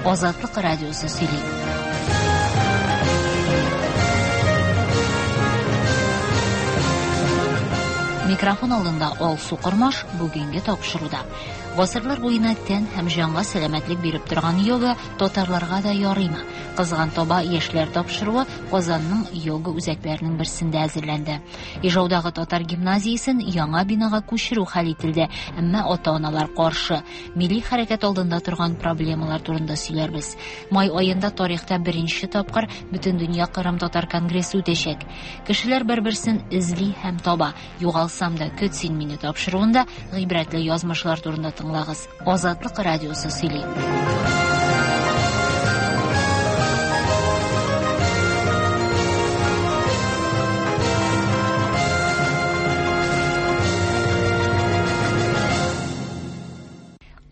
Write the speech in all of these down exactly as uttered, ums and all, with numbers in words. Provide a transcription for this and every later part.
Азатлык радиосы сөйли. Микрофон алдында Алсу Кормаш бүгенге тапшыруда. Гасырлар буена тән һәм җанга сәламәтлек биреп торган йога татарларга да ярыймы? Кызган таба яшьләр тапшыруы Казанның йога үзәкләренең берсендә әзерләнде. Ижаудагы татар гимназиясен яңа бинага күчерү хәл ителде, әмма ата-аналар каршы. Милли хәрәкәт алдында торган проблемалар турында сөйләрбез. Май аенда тарихта беренче тапкыр Бөтендөнья Кырым татар конгрессы үтәчәк. Кешеләр бер-берсен эзли һәм таба. Югалсам да көт син мине тапшыруында гыйбрәтле язмышлар турында тыңлагыз. Азатлык радиосы сөйли.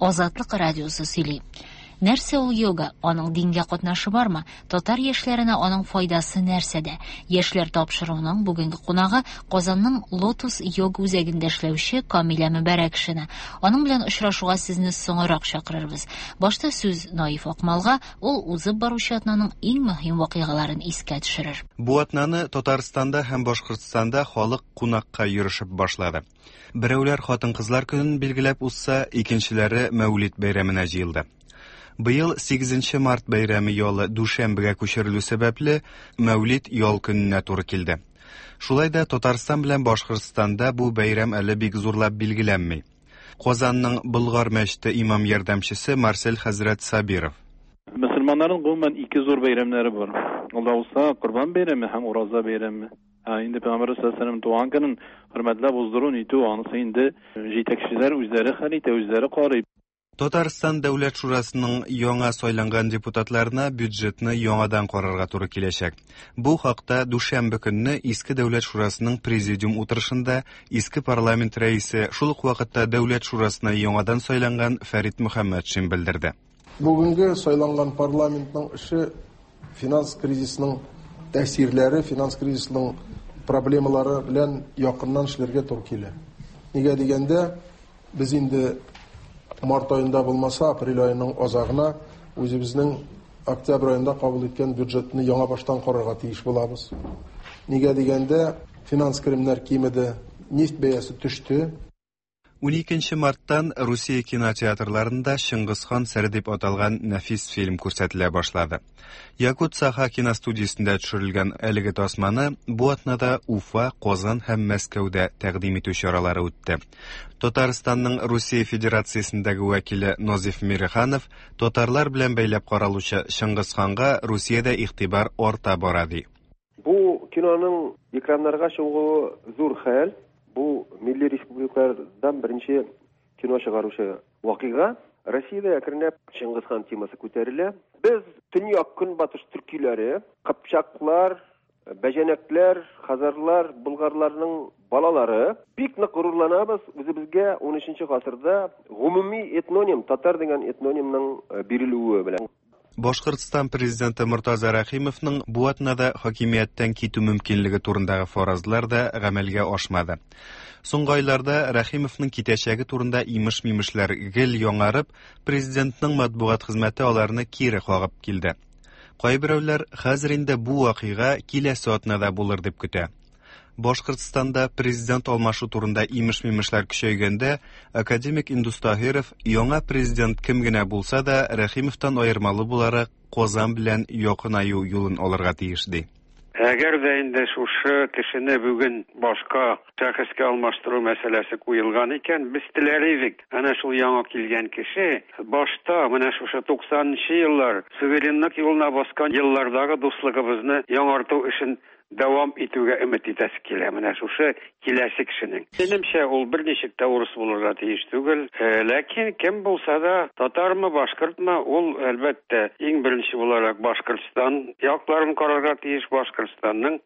Азатлык радиосы сөйли. Нәрсә ул йога? Аның дингә катнашы бармы? Татар яшьләренә аның файдасы нәрсәдә? Яшьләр тапшыруының бүгенге кунагы Казанның Лотус йога үзәгендә эшләүче Камилә Мөбәрәкшина. Аның белән очрашуга сезне соңрак чакырырбыз. Башта сүз Наиф Акмалга, ул узып баручы атнаның иң мөһим вакыйгаларын искә төшерер. Бу атнаны Татарстанда һәм Башкортстанда халык кунакка йөрешеп башлады. Берәүләр хатын-кызлар көнен билгеләп узса, икенчеләре Мәүлид бәйрәменә җыелды. Быел сигезенче март бәйрәме ялы дүшәмбегә күчерелү сәбәпле Мәүлид ял көненә туры килде. Шулай да Татарстан белән Башкортстанда бу бәйрәм әле бик зурлап билгеләнми. Казанның Болгар мәчете имам ярдәмчесе Марсель хәзрәт Сабиров. Мөселманнарның гомумән ике зур бәйрәмнәре бар. Ул да булса Корбан бәйрәме һәм Ураза бәйрәме. Ә инде Пәйгамбәр саллаллаһу алейһи ва сәлләм туган көнен хөрмәтләп уздыру нитү, анысы инде җитәкчеләр үзләре хәл итә, үзләре карый. Татарстан Дәүләт Шурасының яңа сайланган депутатларына бюджетны яңадан карарга туры киләчәк. Бу хакта дүшәмбе көнне Иске Дәүләт Шурасының президиум утырышында Иске парламент рәисе, шул ук вакытта Дәүләт Шурасына яңадан сайланган Фәрит Мөхәммәтшин белдерде. Бүгенге сайланган парламентның эше финанс кризисының тәэсирләре, финанс кризисының проблемалары белән якыннан эшләргә туры килә. Нигә дигәндә, без инде март айында булмаса, апрель айының азагына үзебезнең октябрь айында кабул иткән бюджетны яңа баштан карарга тиеш булабыз. Нигә дигәндә, финанс керемнәр кимеде, нефть бәясе төште. Уникенче марттан Русия кинотеатрларында Чыңгызхан сере дип аталган нәфис фильм күрсәтелә башлады. Якут Саха киностудиясендә төшерелгән әлеге тасманы бу атнада Уфа, Казан һәм Мәскәүдә тәкъдим итү чаралары үтте. Татарстанның Русия Федерациясендәге вәкиле Назиф Мириханов татарлар белән бәйләп каралучы Чыңгызханга Русиядә игътибар арта бара ди. Бу киноның экраннарга чыгуы зур хәл. Бу милли республикалардан беренче кино чыгаручы вакыйга. Россиядә әкренләп Чыңгызхан темасы күтәрелә. Без төньяк көнбатыш төркиләре, кыпчаклар, бәҗәнәкләр, хазарлар, болгарларның балалары бик нык горурланабыз. Үзебезгә ун өченче гасырда гомуми этноним, татар дигән этнонимның бирелүе белән. Башкортстан президенты Мортаза Рәхимовның бу атнада хакимияттән китү мөмкинлеге турындагы фаразлар да гамәлгә ашмады. Соңгы айларда Рәхимовның китәчәге турында имеш-мимешләр гел яңарып, президентның матбугат хезмәте аларны кире кагып килде. Кайберәүләр хәзер инде бу вакыйга киләсе атнада булыр дип көтә. Башкортстанда президент алмашу турында имеш-мимешләр көчәйгәндә, академик Индус Таһиров яңа президент кем генә булса да Рәхимовтан аермалы буларак Казан белән якынаю юлын алырга тиеш ди. Әгәр дә инде шушы кешене бүген башка шәхескә алмаштыру мәсьәләсе куелган икән, без теләр идек. Әнә шул яңа килгән кеше башта менә шушы туксанынчы еллар суверенлык юлына баскан еллардагы дуслыгыбызны яңарту эшен дәвам итүгә өмет итәсе килә. Менә шушы киләсе кешенең. Минемчә, ул берничек тә урыс булырга тиеш түгел. Э, ләкин кем булса да, татармы, башкортмы, ул әлбәттә иң беренче буларак Башкортстан якларын карарга тиеш, Башкортстанның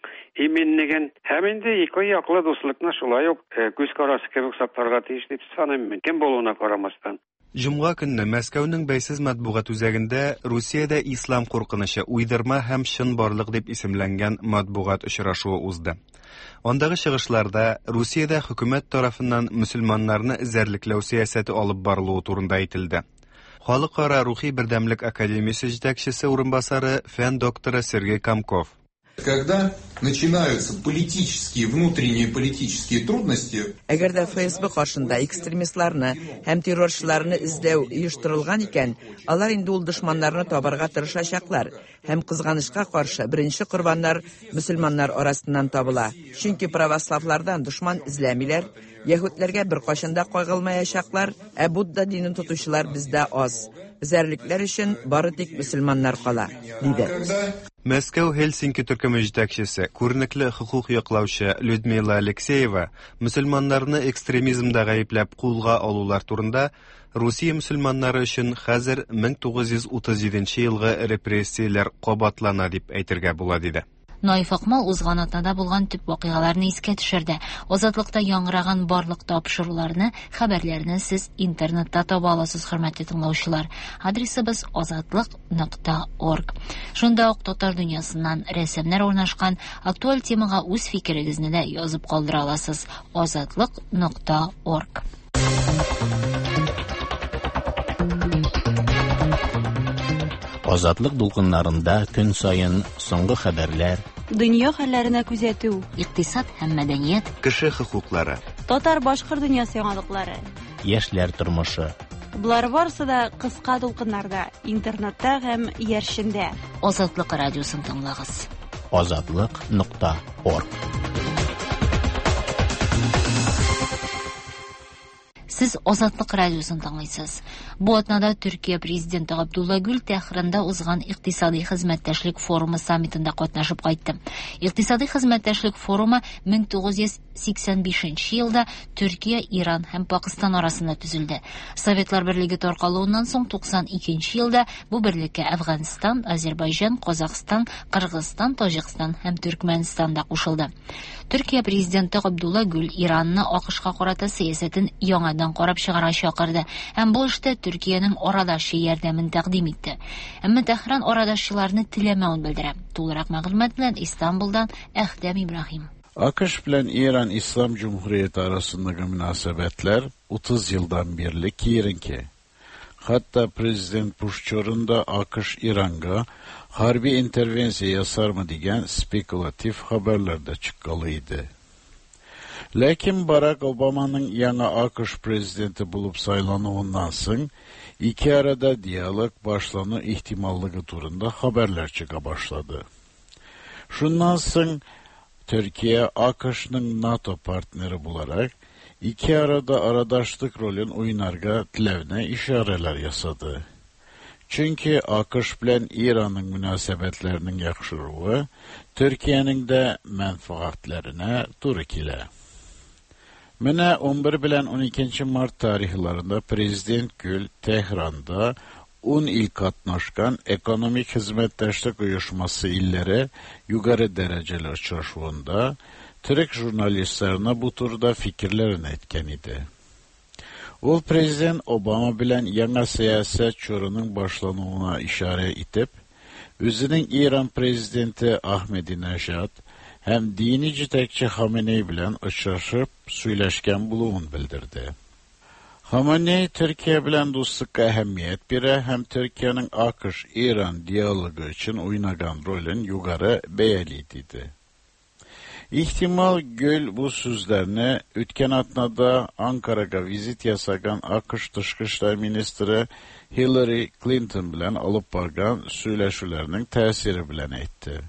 иминлеген һәм инде ике яклы дуслыкны шулай ук, э, күз карасы кебек сакларга тиеш дип саныйм мин, кем булуына карамастан. Җомга көнне Мәскәүнең бәйсез матбугат үзәгендә Русиядә ислам куркынычы уйдырма һәм чынбарлык дип исемләнгән матбугат очрашуы узды. Андагы чыгышларда Русиядә хөкүмәт тарафыннан мөселманнарны эзәрлекләү сәясәте алып барылуы турында әйтелде. Халыкара рухи бердәмлек академиясе җитәкчесе урынбасары, фән докторы Сергей Комков. Когда начинаются политические, внутренние политические трудности... Әгәр дә Эф Эс Бэ каршында экстремистларны һәм террорчыларны эзләү оештырылган икән, алар инде ул дошманнарны табарга тырышачаклар. Һәм кызганычка каршы беренче корбаннар мөселманнар арасыннан табыла. Чөнки православлардан дошман эзләмиләр, яһүдләргә беркайчан да кагылмаячаклар, ә Будда динен тотучылар бездә аз. Эзәрлекләр өчен бары тик мөселманнар кала, диде. Мәскәү Хельсинки төркеме җитәкчесе, күренекле хокук яклаучы Людмила Алексеева мөселманнарны экстремизмда гаепләп кулга алулар турында Русия мөселманнары өчен хәзер мең тугыз йөз утыз җиденче елгы репрессияләр кабатлана дип әйтергә була, диде. Наиф Акмал узган атнада булган төп вакыйгаларны искә төшерде. Азатлыкта яңгыраган барлык тапшыруларны, хәбәрләрне сез интернетта таба аласыз, хөрмәтле тыңлаучылар. Адресыбыз азатлык нокта орг. Шунда ук татар дөньясыннан рәсемнәр урнашкан актуаль темага үз фикерегезне дә язып калдыра аласыз. Азатлык нокта орг. Азатлык дулкыннарында көн саен соңгы хәбәрләр, дөнья хәлләренә күзәтү, икътисад һәм мәдәният, кеше хокуклары, татар-башкорт дөньясы яңалыклары, яшьләр тормышы. Болар барысы да кыска дулкыннарда, интернетта һәм иярчендә. Азатлык радиосын тыңлагыз. Азатлык нокта орг. Сез Азатлык радиосын тыңлыйсыз. Бу атнада Төркия президенты Абдулла Гүл Тәһранда узган икътисади хезмәттәшлек форумы саммитында катнашып кайтты. Икътисади хезмәттәшлек форумы мең тугыз йөз сиксән бишенче елда Төркия, Иран һәм Пакыстан арасында төзелде. Советлар Берлеге таркалуыннан соң туксан икенче елда бу берлеккә Әфганстан, Азербайҗан, Казахстан, Кыргызстан, Таҗикстан һәм Төркмәнстан да кушылды. Төркия президенты Абдулла Гүл Иранны АКШка карата сәясәтен яңадан карап чыгарга чакырды һәм бу эштә Төркиянең арадашчы ярдәмен тәкъдим итте. Әмма Тәһран арадашчыларны теләмәвен белдерә. Тулырак мәгълүмат белән Истанбулдан Әхтәм Ибраһим. AKŞ bilen İran İslam Cumhuriyeti arasındaki münasebetler otuz yıldan beri kirinki. Hatta Prezident Bush da AKŞ İran'a harbi intervensiya yasar mı diyen spekülatif haberler de çıkkalıydı. Lakin Barack Obama'nın yeni AKŞ prezidenti bulup saylanığından soň iki arada diyalog başlanı ihtimallığı turunda haberler çıka başladı. Şundan soň Türkiye AKŞ'nın NATO partneri bularak iki arada aradaşlık rolün oynarga tilevne işareler yasadı. Çünkü AKŞ bilen İran'ın münasebetlerinin yakışırığı Türkiye'nin de menfaatlerine duru kile. Mine on bir bilen on ikinci Mart tarihlerinde Prezident Gül Tehran'da on il katnaşkan ekonomik hizmetdaşlık uyuşması illeri yukarı dereceli uçraşuvunda Türk jurnalistlerine bu turda fikirlerini etken idi. Ol Prezident Obama bilen yeni siyaset çorunun başlanığına işaret etip, özünün İran Prezidenti Ahmedinejad hem dini jitekçi Hamenei bilen uçraşıp söyleşken buluğun bildirdi. Hamenei Türkiye bilen dostlukka ehemmiyet bire hem Türkiye'nin AKŞ-İran diyalogu için oynagan rolün yukarı beyeliydi. İhtimal Gül bu sözlerini Ütken atnada Ankara'ya vizit yasagan AKŞ Dışkı İşler Ministri Hillary Clinton bilen alıp bargan söyleşilerinin tesiri bilen etti.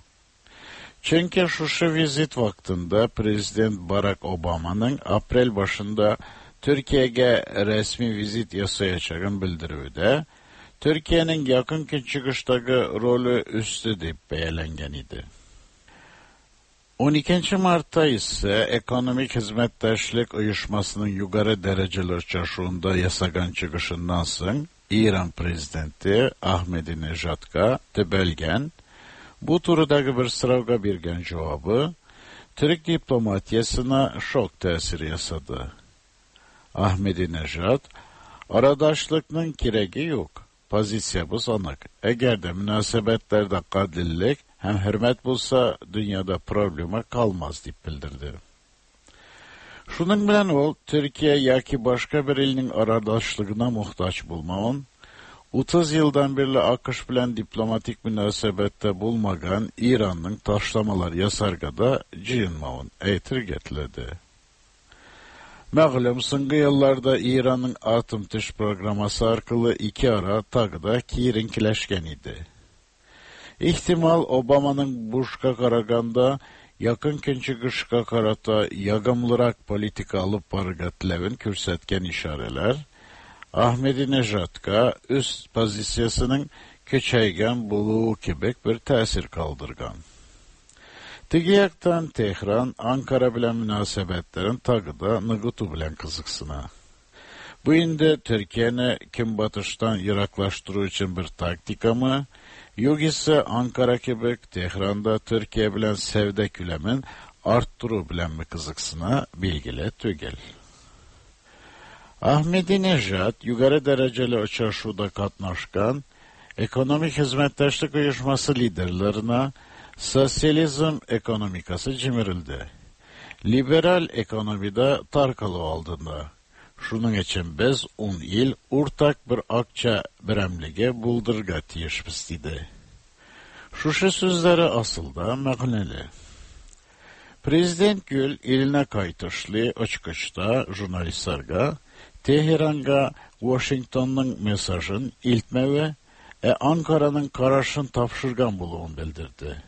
Çünkü şu vizit vaktinde Prezident Barack Obama'nın aprel başında Türkiye'ye resmi vizit yasayacağını bildirüvde, Türkiye'nin yakın çıkıştaki rolü üstü deyip beğenlengen idi. on ikinci Mart'ta ise Ekonomik Hizmetdaşlık Uyuşmasının yukarı dereceli uçraşuvunda yasagan çıkışından soň İran Prezidenti Ahmedinejad'a tebelgen, bu turudaki bir sıravga bergen cevabı Türk diplomatiyasına şok tesiri yasadı. Ahmedinejad, aradaşlıkның keregi yok, pozitsiyamız anık. Eğer de münasebetlerde kadillik hem hürmet bulsa dünyada problema kalmaz deyip bildirdi. Şunun bilen ol, Türkiye yaki başka bir elinin aradaşlığına muhtaç bulmağın, Otuz yıldan beri AQSh bilen diplomatik münasebette bulmagan İran'ın taşlamalar yasargada cıyınmavın eytir getledi. Məğlum, soñgı yıllarda İran'ın atom tış programması arkalı iki ara tagda kirinkileşken idi. İhtimal Obama'nın Bush'a qaraganda yakın künçügüşka qarata yagımlırak politika alıp barga tilevin kürsetken işareler, Ahmedinejad'a üst pozitsiyasının küçeygen buluğu kibik bir tesir kaldırgan. Tigi yaktan Tehran, Ankara bilen münasebetlerin tagıda nıgıtu bilen kızıksına. Bu indi Türkiye'ni kim batıştan yıraklaştırı için bir taktika mı, yok ise Ankara kibik Tehran'da Türkiye bilen sevde külemin arttırı bilen mi kızıksına bilgili tügel. Ahmedinejad yukarı dereceli uçuşuda katnaşkan ekonomik hizmetdaşlık uyuşması liderlerine sosyalizm ekonomikası cimirildi. Liberal ekonomide tarkalı aldığında. Şunun için biz on yıl ortak bir akça biremlige buldurga tiyişbiz dedi. Şuşu sözleri asılda məğneli. Prezident Gül eline kaytışlı açıkçta jurnalistlerge Teheran'a Washington'un mesajın iltmevi e Ankara'nın kararışın tapşırgan buluğunu bildirdi.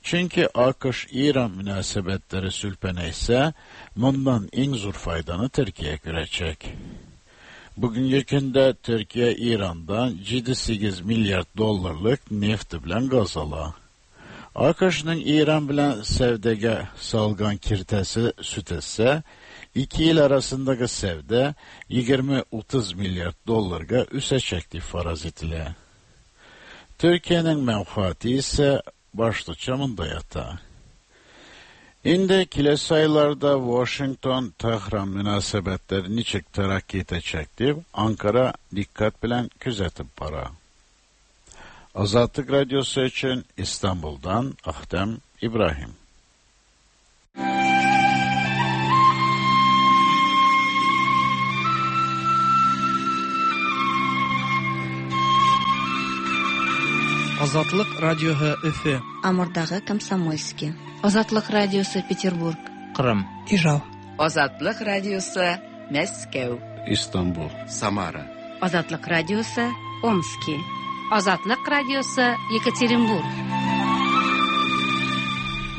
Çünkü AQSh-İran münasebetleri sülpene ise bundan en zor faydanı Türkiye görecek. Bugünkü günde Türkiye İran'dan yedi sekiz milyar dolarlık neft bilen gaz ala. AQSh'ın İran bilen sevdege salgan kirtesi süt etse, iki yıl arasındaki sevde yigirmi otuz milyar dolarga üsecekti faraz etile. Türkiye'nin menfaati ise başlıca mında yata. Şimdi kilesi aylarda Washington-Tehran münasebetleri niçik terakki edecekti, Ankara dikkat bilen küzetip para. Azatlık Radyosu için İstanbul'dan Ahtem İbrahim. Азатлык радиоһы Өфө. Амурдагы Комсомольский. Азатлык радиосы Петербург. Кырым. Ижау. Азатлык радиосы Мәскәү. Истанбул. Самара. Азатлык радиосы Омский. Азатлык радиосы Екатеринбург.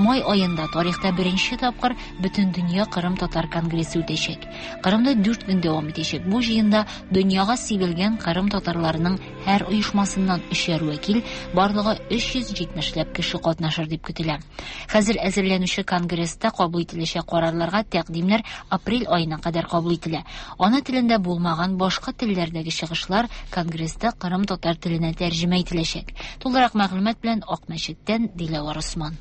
Май айында тарихта беренче тапкыр Бөтендөнья Кырым татар конгрессы үтәчәк. Кырымда дүрт көн дәвам итәчәк. Бу җыенда дөньяга сибелгән Кырым татарларының һәр оешмасыннан өчәр вәкил, барлыгы өч йөз җитмешләп кеше катнашыр дип көтелә. Хәзер әзерләнүче конгресста кабул ителәчәк карарларга тәкъдимнәр апрель аена кадәр кабул ителә. Ана телендә булмаган башка телләрдәге чыгышлар конгресста Кырым татар теленә тәрҗемә ителәчәк. Тулырак мәгълүмат белән Акмәчеттән Диләвар Усман.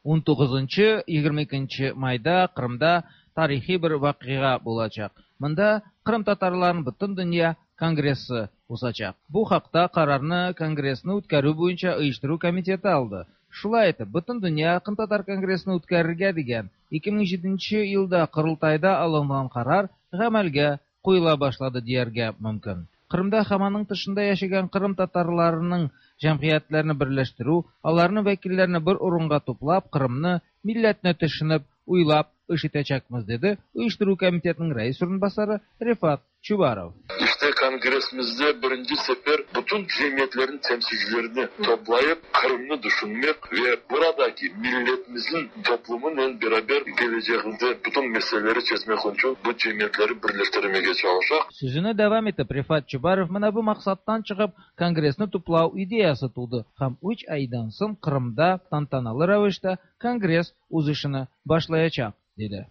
он тугызынчы егерме икенче майда Кырымда тарихи бер вакыйга булачак. Монда Кырым татарларының бөтен дөнья конгрессы узачак. Бу хакта карарны конгрессны үткәрү буенча оештыру комитеты алды. Шулай итеп, бөтен дөнья Кырым татар конгрессын үткәрергә дигән ике мең җиденче елда Корылтайда алынган карар гамәлгә куела башлады дияргә мөмкин. Кырымда һәм аның тышында яшәгән Кырым татарларының җәмгыятьләрен берләштерү, аларның вәкилләрен бер урынга туплап, Кырымны, милләтне төшенеп, уйлап эш итәчәкбез, диде оештыру комитетының рәис урынбасары Рифат Чубаров. İşte kongresimizde birinci sefer bütün cemiyetlerin temsilcilerini toplayıp Kırım'ı düşünmek ve buradaki milletimizin toplumunun beraber geleceğinde bütün meseleleri çözmek için bu cemiyetleri birleştirmeye çalışacak. Sözünü devam etip Rifat Чубаров mına bu maksattan çıkıp kongresini toplau ideyası tuğdu. Hem üç aydan soň Kırım'da tantanalı ravişte kongres uzışını başlayacak, dedi.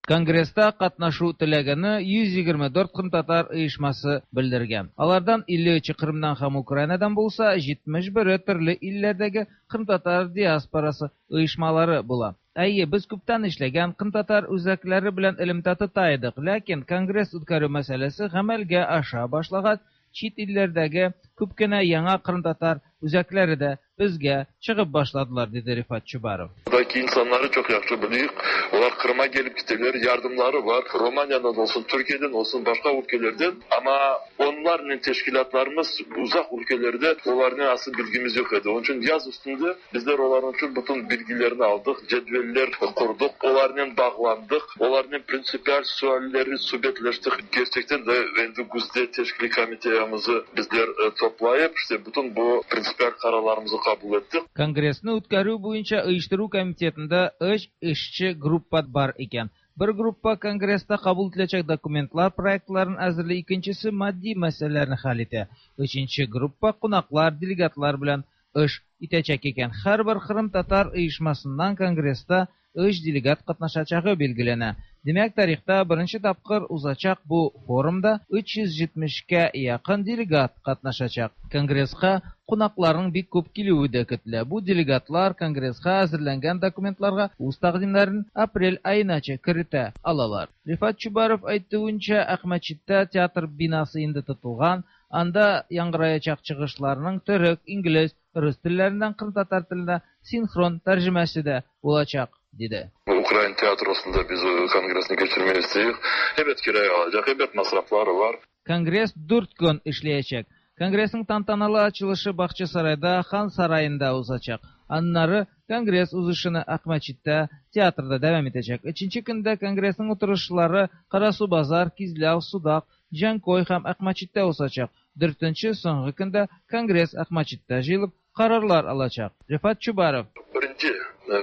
Конгресста катнашу теләгәне йөз егерме дүрт кырым татар оешмасы белдергән. Алардан илле өче Кырымнан һәм Украинадан булса, җитмеш бере төрле илләрдәге кырым татар диаспорасы оешмалары була. Әйе, без күптән эшләгән кырым татар үзәкләре белән элемтә тота идек, ләкин конгресс үткәрү мәсьәләсе гамәлгә аша башлагач, чит илләрдәге күп кенә яңа кырым татар үзәкләре дә безгә чыгып башладылар, диде Рифат Чубаров. Buradaki insanları çok yaxşı bilirik. Onlar Kırım'a gelip gittiler, yardımları var. Romanya'dan olsun, Türkiye'den olsun, başka ülkelerden. Ama onların teşkilatlarımız uzak ülkelerde onların asıl bilgimiz yok idi. Onun için yaz üstünde bizler onların için bütün bilgilerini aldık, cedveller kurduk, onlarla bağlandık, onların prinsipal sualleri sohbetleştik. Gerçekten de endi güzde teşkili komiteyamizi bizler toplayıp işte bütün bu prinsipal kararlarımızı kabul ettik. Конгрессны үткәрү буенча оештыру комитетында өч эшче группа бар икән. Бер группа конгресста кабул ителәчәк документлар проектларын әзерли, икенчесе матди мәсьәләләрне хәл итә. Өченче группа кунаклар, делегатлар белән эш итәчәк икән. Һәрбер Кырым татар оешмасыннан конгресста өч делегат катнашачагы билгеләнә. Димәк, тарихта беренче тапкыр узачак бу форумда өч йөз җитмешкә якын делегат катнашачак. Конгресска кунакларның бик күп килүе дә көтелә. Бу делегатлар конгресска әзерләнгән документларга үз тәкъдимнәрен апрель аенача кертә алалар. Рифат Чубаров әйтүенчә, Әхмәтчиттә театр бинасы инде тотылган, анда яңгыраячак чыгышларның төрек, инглиз, рус телләреннән кырым татар теленә синхрон тәрҗемәсе дә булачак, диде. Ukrayna tiyatrosunda biz kongresini geçirmeyi istiyoruz. Evet kiraya alacak, evet masrafları var. Конгресс дүрт көн эшләячәк. Конгрессның тантаналы ачылышы Бакчасарайда, Хан сараенда узачак. Аннары конгресс узышыны Әхмәтчиттә театрда дәвам итәчәк. Өченче көндә конгрессның утырышлары Карасу-Базар, Кизляв, Судак, Җанкой һәм Әхмәтчиттә узачак. Дүртенче соңгы көндә конгресс Әхмәтчиттә җыелып карарлар алачак. Рифат Чубаров. Birinci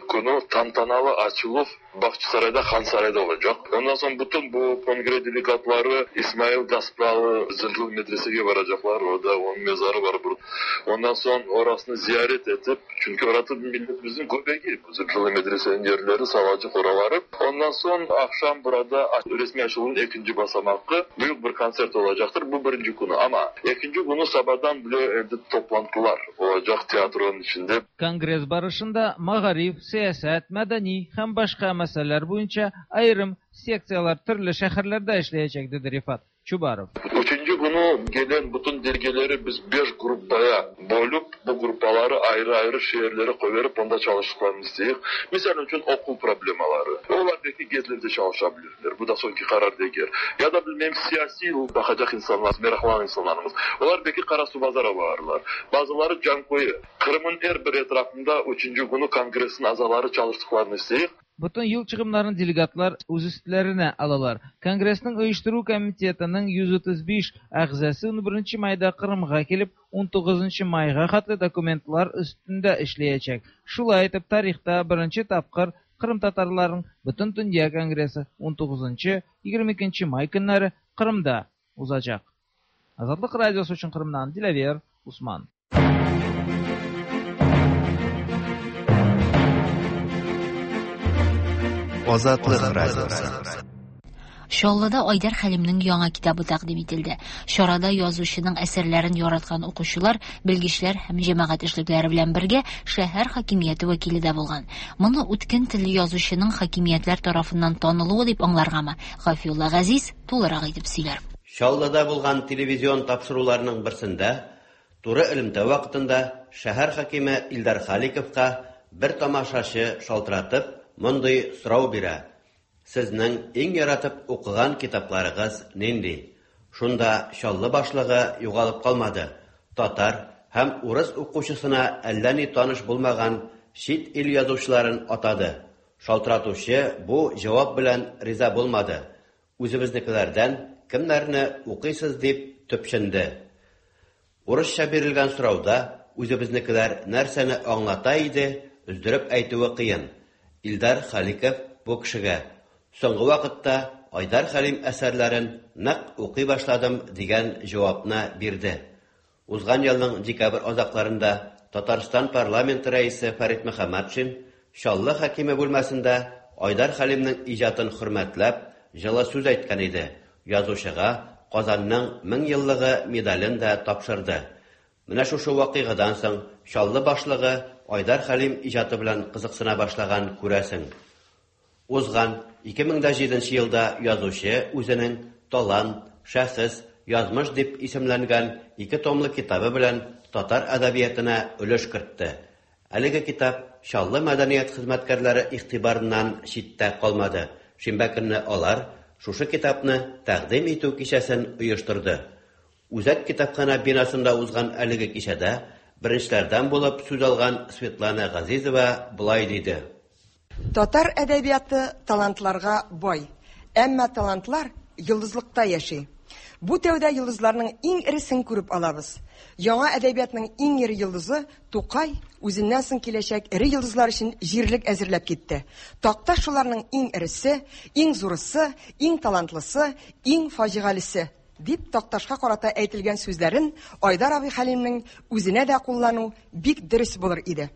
konu tantanalı açılıp Bahçesaray'da, Han Saray'da olacak. Ondan sonra bütün bu kongre delegatları İsmail Gaspralı Zırhlı Medrese'ye varacaklar. Orada onun mezarı var burada. Ondan sonra orasını ziyaret edip, çünkü orası milletimizin göbeği. Zırhlı Medrese'nin yerleri, Salacık oraları. Ondan sonra akşam burada resmi açılımın ikinci basamağı büyük bir konsert olacaktır. Bu birinci konu ama ikinci günü sabahdan bile evde toplantılar olacak tiyatronun içinde. Конгресс барышында мәгариф, сәясәт, мәдәни һәм башка мәсьәләләр буенча аерым секциялар төрле шәһәрләрдә эшләячәк, диде Рифат Чубаров. Üçüncü günü gelen bütün delgeleri biz beş grupaya bölüp bu grupları ayrı ayrı şehirlere koyup onda çalıştıklarını istiyoruz. Misal için okul problemaları. Onlar belki gezlerde çalışabilirler. Bu da sonki karar değil. Ya da bilmem siyasi bakacak insanlar, meraklanan insanlarımız. Onlar belki Karasubazar'a varırlar. Bazıları Cankoy'u. Kırım'ın her bir etrafında üçüncü günü kongresin azaları çalıştıklarını istiyoruz. Бүтән юл чыгымнарын делегатлар үз өстләренә алалар. Конгрессның оештыру комитетының йөз утыз биш әгъзасы унберенче майда Кырымга килеп, унтугызынчы майга хәтле документлар өстендә эшләячәк. Шулай итеп, тарихта беренче тапкыр Кырым татарларының Бөтен дөнья конгрессы унтугызынчы егерме икенче май көннәре Кырымда узачак. Азатлык радиосы өчен Кырымнан Диләвер Усман. Азатлык радиосы. Чаллыда Айдар Хәлимнең яңа китабы тәкъдим ителде. Чарада язучының әсәрләрен яраткан укучылар, белгечләр һәм җәмәгать эшлекләре белән бергә шәһәр хакимияте вәкиле дә булган. Моны үткен телле язучының хакимиятләр тарафыннан танылуы дип аңларгамы? Гафиулла Газиз тулырак итеп сөйләр. Чаллыда булган телевизион тапшыруларның берсендә туры элемтә вакытында шәһәр хакиме Илдар Халиковка бер тамашачы шалтыратып мондый сорау бирә. Сезнең иң яратып укыган китапларыгыз нинди? Шунда Чаллы башлыгы югалып калмады. Татар һәм урыс укучысына әллә ни таныш булмаган чит ил язучыларын атады. Шалтыратучы бу җавап белән риза булмады. Үзебезнекеләрдән кемнәрне укыйсыз дип төпченде. Урысча бирелгән сорауда үзебезнекеләр нәрсәне аңлата иде, өздереп әйтүе кыен. Илдар Халиков бу кешегә соңгы вакытта Айдар Хәлим әсәрләрен нык укый башладым дигән җавапны бирде. Узган елның декабрь азакларында Татарстан парламенты рәисе Фәрит Мөхәммәтшин Чаллы хакиме бүлмәсендә Айдар Хәлимнең иҗатын хөрмәтләп җылы сүз әйткән иде. Язучыга Казанның мең еллыгы медален дә тапшырды. Менә шушы вакыйгадан соң Чаллы башлыгы Айдар Хәлим иҗаты белән кызыксына башлаган күрәсең. Узган ике мең дә җиденче елда язучы үзенең Талант, шәхес, язмыш дип исемләнгән ике томлы китабы белән татар әдәбиятына өлеш кертте. Әлеге китап Чаллы мәдәният хезмәткәрләре игътибарыннан читтә калмады. Шимбә көнне алар шушы китапны тәкъдим итү кичәсен оештырды. Үзәк китапхана бинасында узган әлеге кичәдә беренчеләрдән булып сүз алган Светлана Газизова болай диде. Татар әдәбияты талантларга бай. Әмма талантлар йолдызлыкта яши. Бу тәүдә йолдызларның иң эресен күреп алабыз. Яңа әдәбиятның иң эре йолдызы Тукай үзеннән соң киләчәк эре йолдызлар өчен җирлек әзерләп китте. Такташ шуларның иң эресе, иң зурысы, иң талантлысы, иң фаҗигалесе дип Такташка карата әйтелгән сүзләрен Айдар абый Хәлимнең үзенә дә куллану бик дөрес булыр иде.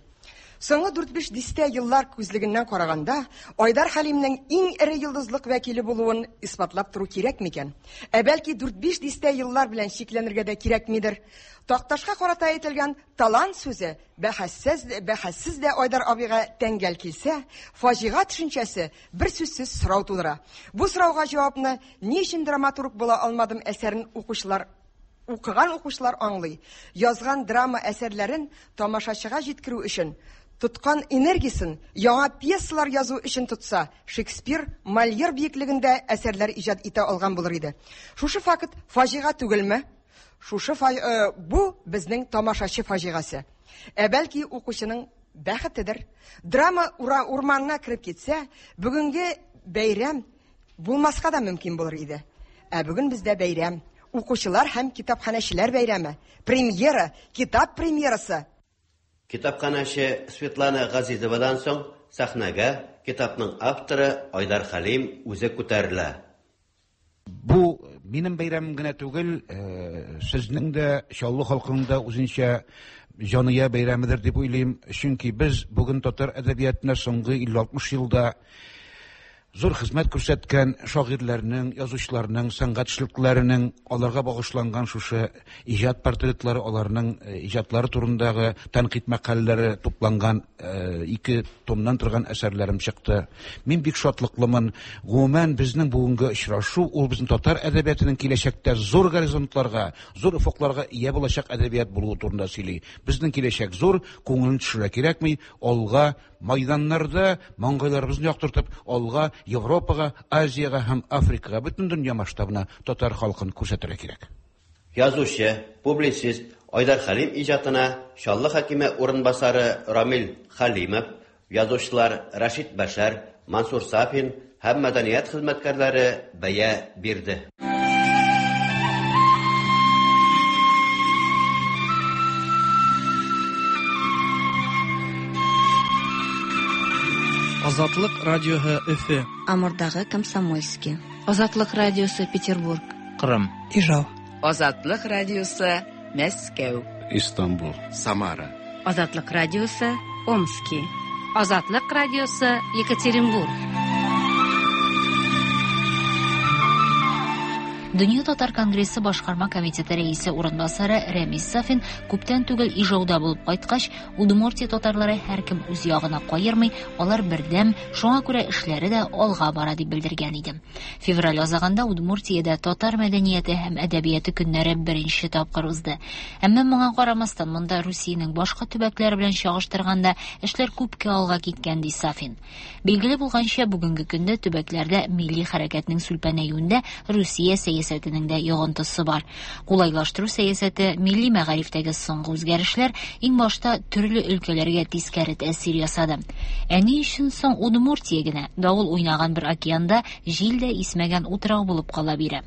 Соңгы дүрт-биш дистә еллар күзлегеннән караганда, Айдар Хәлимнең иң эре йолдызлык вәкиле булуын исбатлап тору кирәк микән? Ә бәлки дүрт-биш дистә еллар белән чикләнергә дә кирәкмидер? Такташка карата әйтелгән талант сүзе бәхәссез, бәхәссез дә Айдар абыйга тәңгәл килсә, фаҗига төшенчәсе бер сүзсез сорау тудыра. Бу сорауга җавапны ни өчен драматург була алмадым әсәрен укучылар укыган укучылар аңлый. Язган драма әсәрләрен тамашачыга җиткерү өчен тоткан энергиясен яңа пьесалар язу өчен тотса, Шекспир, Мольер биеклегендә әсәрләр иҗат итә алган булыр иде. Шушы факт фаҗига түгелме? Шушы фа... э, бу безнең тамашачы фаҗигасе. Ә бәлки укучының бәхетедер. Драма ура, урманына кереп китсә, бүгенге бәйрәм булмаска да мөмкин булыр иде. Ә бүген бездә бәйрәм. Укучылар һәм китапханәчеләр бәйрәме. Премьера, китап премьерасы. Китапханәче Светлана Газизовадан соң сәхнәгә китапның авторы Айдар Хәлим үзе күтәрелә. Бу минем бәйрәмем генә түгел, сезнең дә, Чаллы халкының да үзенчә җания бәйрәмедер дип уйлыйм. Чөнки без бүген татар әдәбиятына соңгы илле-алтмыш елда зур хезмәт күрсәткән шагыйрьләрнең, язучыларның, сәнгать эшлекләренең аларга багышланган шушы иҗат портретлары, аларның иҗатлары турындагы тәнкыйть мәкаләләре тупланган ике томнан торган әсәрләрем чыкты. Мин бик шатлыклымын. Гомумән, безнең бүгенге очрашу ул безнең татар әдәбиятының киләчәктә зур горизонтларга, зур офыкларга ия булачак әдәбият булуы турында сөйли. Безнең киләчәк зур, күңелен төшерә кирәкми, алга майданнарда маңгайларыбызны яктыртып, алга Европага, Азиягә һәм Африкага, бөтен дөнья масштабына татар халкын күрсәтергә кирәк. Язучы, публицист Айдар Хәлим иҗатына Чаллы хакиме урынбасары Рамил Хәлимов, язучылар Рәшит Бәшәр, Мансур Сафин һәм мәдәният хезмәткәрләре бәя бирде. Азатлык радиоһы Өфө. Амурдагы Комсомольский. Азатлык радиосы Петербург. Кырым. Ижау. Азатлык радиосы Мәскәү. Истанбул. Самара. Азатлык радиосы Омски. Азатлык радиосы Екатеринбург. Дөнья татар конгрессы башкарма комитеты рәисе урынбасары Рәмис Сафин күптән түгел Ижауда булып кайткач, Удмуртия татарлары һәркем үз ягына каермый, алар бердәм, шуңа күрә эшләре дә алга бара дип белдергән иде. Февраль азагында Удмуртиядә татар мәдәнияте һәм әдәбияты көннәре беренче тапкыр узды. Әмма моңа карамастан монда Русиянең башка төбәкләре белән чагыштырганда эшләр күпкә алга киткән, ди Сафин. Билгеле булганча, бүгенге көндә төбәкләрдә милли хәрәкәтнең сүлпәнәюендә Русия сәясәтенең дә йогынтысы бар. Кулайлаштыру сәясәте, милли мәгарифтәге соңгы үзгәрешләр иң башта төрле өлкәләргә тискәре тәэсир ясады. Ә ни өчен соң Удмуртия генә давыл уйнаган бер океанда җил дә исмәгән утрау булып кала бирә?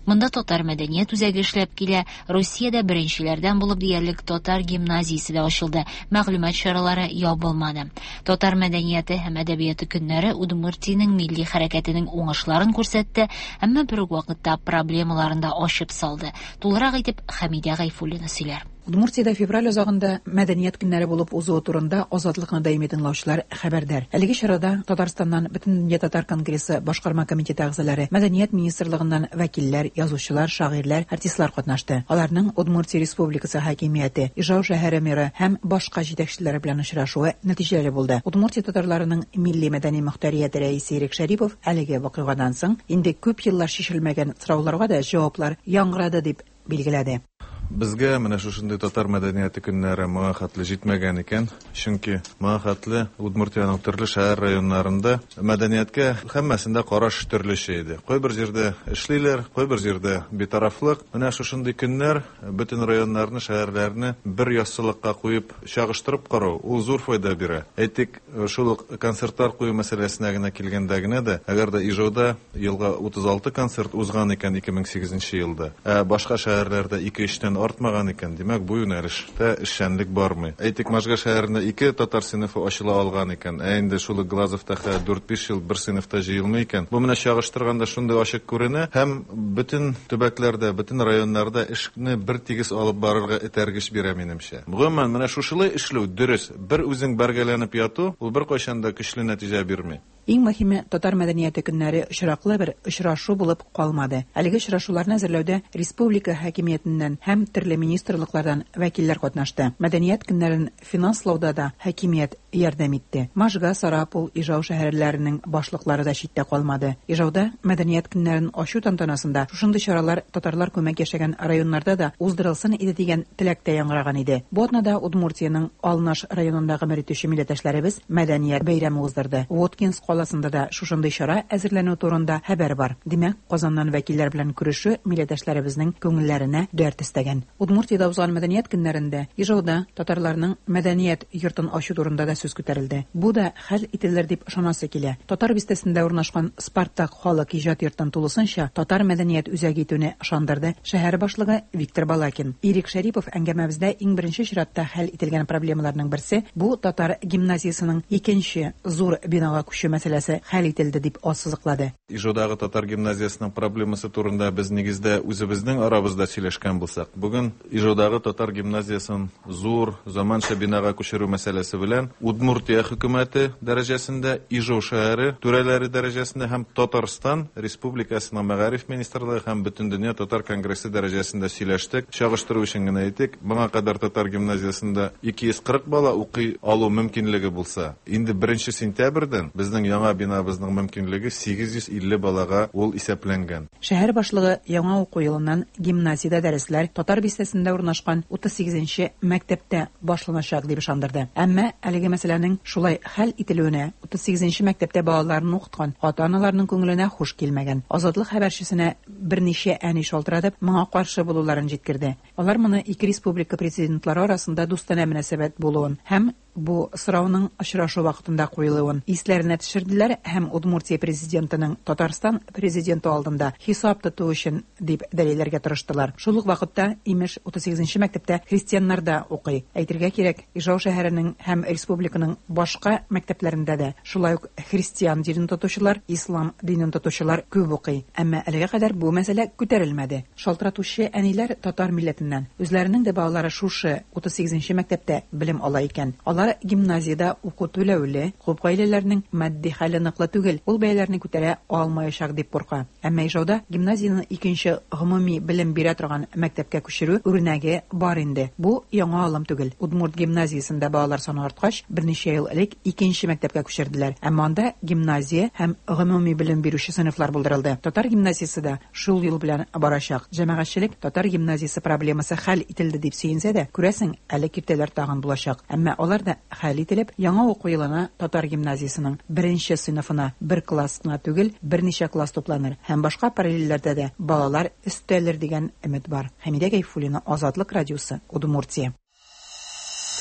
Монда татар мәдәният үзәге эшләп килә, Русиядә беренчеләрдән булып диярлек татар гимназиясе дә ачылды, мәгълүмат чаралары ябылмады. Татар мәдәнияте һәм әдәбияты көннәре Удмуртиянең милли хәрәкәтенең уңышларын күрсәтте, әмма бер үк вакытта проблемаларын да ачып салды. Тулырак итеп Хәмидә Гайфуллина сөйләр. Удмуртиядә февраль азагында мәдәният көннәре булып узуы турында Азатлыкны даими тыңлаучылар хәбәрдар. Әлеге чарада Татарстаннан Бөтендөнья татар конгрессы башкарма комитеты әгъзалары, мәдәният министрлыгыннан вәкилләр, язучылар, шагыйрьләр, артистлар катнашты. Аларның Удмуртия Республикасы хакимияте, Ижау шәһәре мэры һәм башка җитәкчеләре белән очрашуы нәтиҗәле булды. Удмуртия татарларының милли мәдәни мөхтәрияте рәисе Ирек Шәрипов әлеге вакыйгадан соң инде күп еллар чишелмәгән сорауларга да җаваплар яңгырады дип билгеләде. Безгә менә шушындый татар мәдәнияте көннәре моңа хәтле җитмәгән икән. Чөнки моңа хәтле Удмуртиянең төрле шәһәр районнарында мәдәнияткә һәммәсендә караш төрлечә иде. Кайбер җирдә эшлиләр, кайбер җирдә битарафлык. Менә шушындый көннәр бөтен районнарны, шәһәрләрне бер яссылыкка куеп чагыштырып карау ул зур файда бирә. Әйтик, шул ук концертлар кую мәсьәләсенә генә килгәндә генә дә, әгәр дә Ижауда елга утыз алты концерт узган икән ике мең сигезенче елда, ә башка шәһәрләрдә ике-өчтән артмаган икән, димәк, бу юнәлештә эшчәнлек бармый. Әйтик, Можга шәһәрендә ике татар сыйныфы ачыла алган икән, ә инде шул ук Глазовта дүрт-биш ел бер сыйныфта җыелмый икән. Бу менә чагыштырганда шундый ачык күренә һәм бөтен төбәкләрдә, бөтен районнарда эшне бер тигез алып барырга этәргеч бирә минемчә. Гомумән, менә шушылай эшләү дөрес. Бер үзең бәргәләнеп яту, ул беркайчан да көчле нәтиҗә бирми. Иң мөһиме, татар мәдәнияте көннәре очраклы бер очрашу булып калмады. Әлеге очрашуларны әзерләүдә республика хакимиятеннән һәм төрле министрлыклардан вәкилләр катнашты. Мәдәният көннәрен финанслауда да хакимият ярдәм итте. Можга, Сарапул, Ижау шәһәрләренең башлыклары да читтә калмады. Ижауда мәдәният көннәрен ачу тантанасында шушындый чаралар татарлар күмәк яшәгән районнарда да уздырылсын иде дигән теләк тә яңгыраган иде. Бу атнада Удмуртиянең Алнаш районында гомер итүче милләттәшләребез мәдәният бәйрәме уздырды. Воткинск каласында да шушындый чара әзерләнү турында хәбәр бар. Димәк, Казаннан вәкилләр белән күрешү милләттәшләребезнең күңелләренә дәрт өстәгән. Удмуртиядә узган мәдәният көннәрендә Ижауда татарларның мәдәният йортын ачу турында да сүз күтәрелде. Бу да хәл ителер дип ышанасы килә. Татар бистәсендә урнашкан Спартак халык иҗат йортын тулысынча татар мәдәният үзәге итүне ышандырды шәһәр башлыгы Виктор Балакин. Ирек Шәрипов әңгәмәбездә иң беренче чиратта хәл ителгән проблемаларның берсе бу татар гимназиясының икенче зур бинага күчү мәсьәләсе хәл ителде дип ассызыклады. Ижаудагы татар гимназиясының проблемасы турында без нигездә үзебезнең арабызда сөйләшкән булсак, бүген Ижаудагы татар гимназиясын зур заманча бинага күчерү мәсьәләсе белән Удмуртия хөкүмәте дәрәҗәсендә, Ижау шәһәре түрәләре дәрәҗәсендә һәм Татарстан Республикасының мәгариф министрлыгы һәм Бөтендөнья татар конгрессы дәрәҗәсендә сөйләштек. Чагыштыру өчен генә әйтик, моңа кадәр татар гимназиясендә ике йөз кырык бала укый алу мөмкинлеге булса, инде беренче сентябрьдән безнең яңа бинабызның мөмкинлеге сигез йөз илле балага ул исәпләнгән. Шәһәр башлыгы яңа уку елыннан гимназиядә дәресләр татар бистәсендә урнашкан утыз сигезенче мәктәптә башланачак дип ышандырды. Әмма әлеге мәсьәләнең шулай хәл ителүенә утыз сигезенче мәктәптә балаларын укыткан ата-аналарның күңеленә хуш килмәгән. Азатлык хәбәрчесенә берничә әни шалтыратып, моңа каршы булуларын җиткерде. Алар моны ике республика президентлары арасында дустанә мөнәсәбәт булуын һәм бу сорауның очрашу вакытында куелуын исләренә төшерделәр һәм Удмуртия президентының Татарстан президенты алдында хисап тоту өчен дип дәлилләргә тырыштылар. Шул ук вакытта имеш утыз сигезенче мәктәптә христианнар да укый. Әйтергә кирәк, Ижау шәһәренең һәм республиканың башка мәктәпләрендә дә шулай ук христиан динен тотучылар, ислам динен тотучылар күп укый. Әмма әлегә кадәр бу мәсьәлә күтәрелмәде. Шалтыратучы әниләр татар милләтеннән. Үзләренең дә балалары шушы утыз сигезенче мәктәптә белем ала икән. Алар гимназиядә уку түләүле, күп гаиләләрнең матди хәле ныклы түгел, ул бәяләрне күтәрә алмаячак дип курка. Әмма Ижауда гимназияне икенче гомуми белем бирә торган мәктәпкә күчерү үрнәге бар инде. Бу яңа алым түгел. Удмурт гимназиясендә балалар саны арткач, берничә ел элек икенче мәктәпкә күчерделәр. Әмма анда гимназия һәм гомуми белем бирүче сыйныфлар булдырылды. Татар гимназиясе дә шул юл белән барачак. Җәмәгатьчелек татар гимназиясе проблемасы хәл ителде дип сөенсә дә, күрәсең, әле киртәләр тагын булачак. Әмма алар да хәл ителеп, яңа уку елына татар гимназиясының беренче сыйныфына бер класс кына түгел, берничә класс тупланыр һәм башка параллельләрдә дә балалар өстәлер дигән өмет бар. Хәмидә Гайфуллина, Азатлык радиосы, Удмуртия.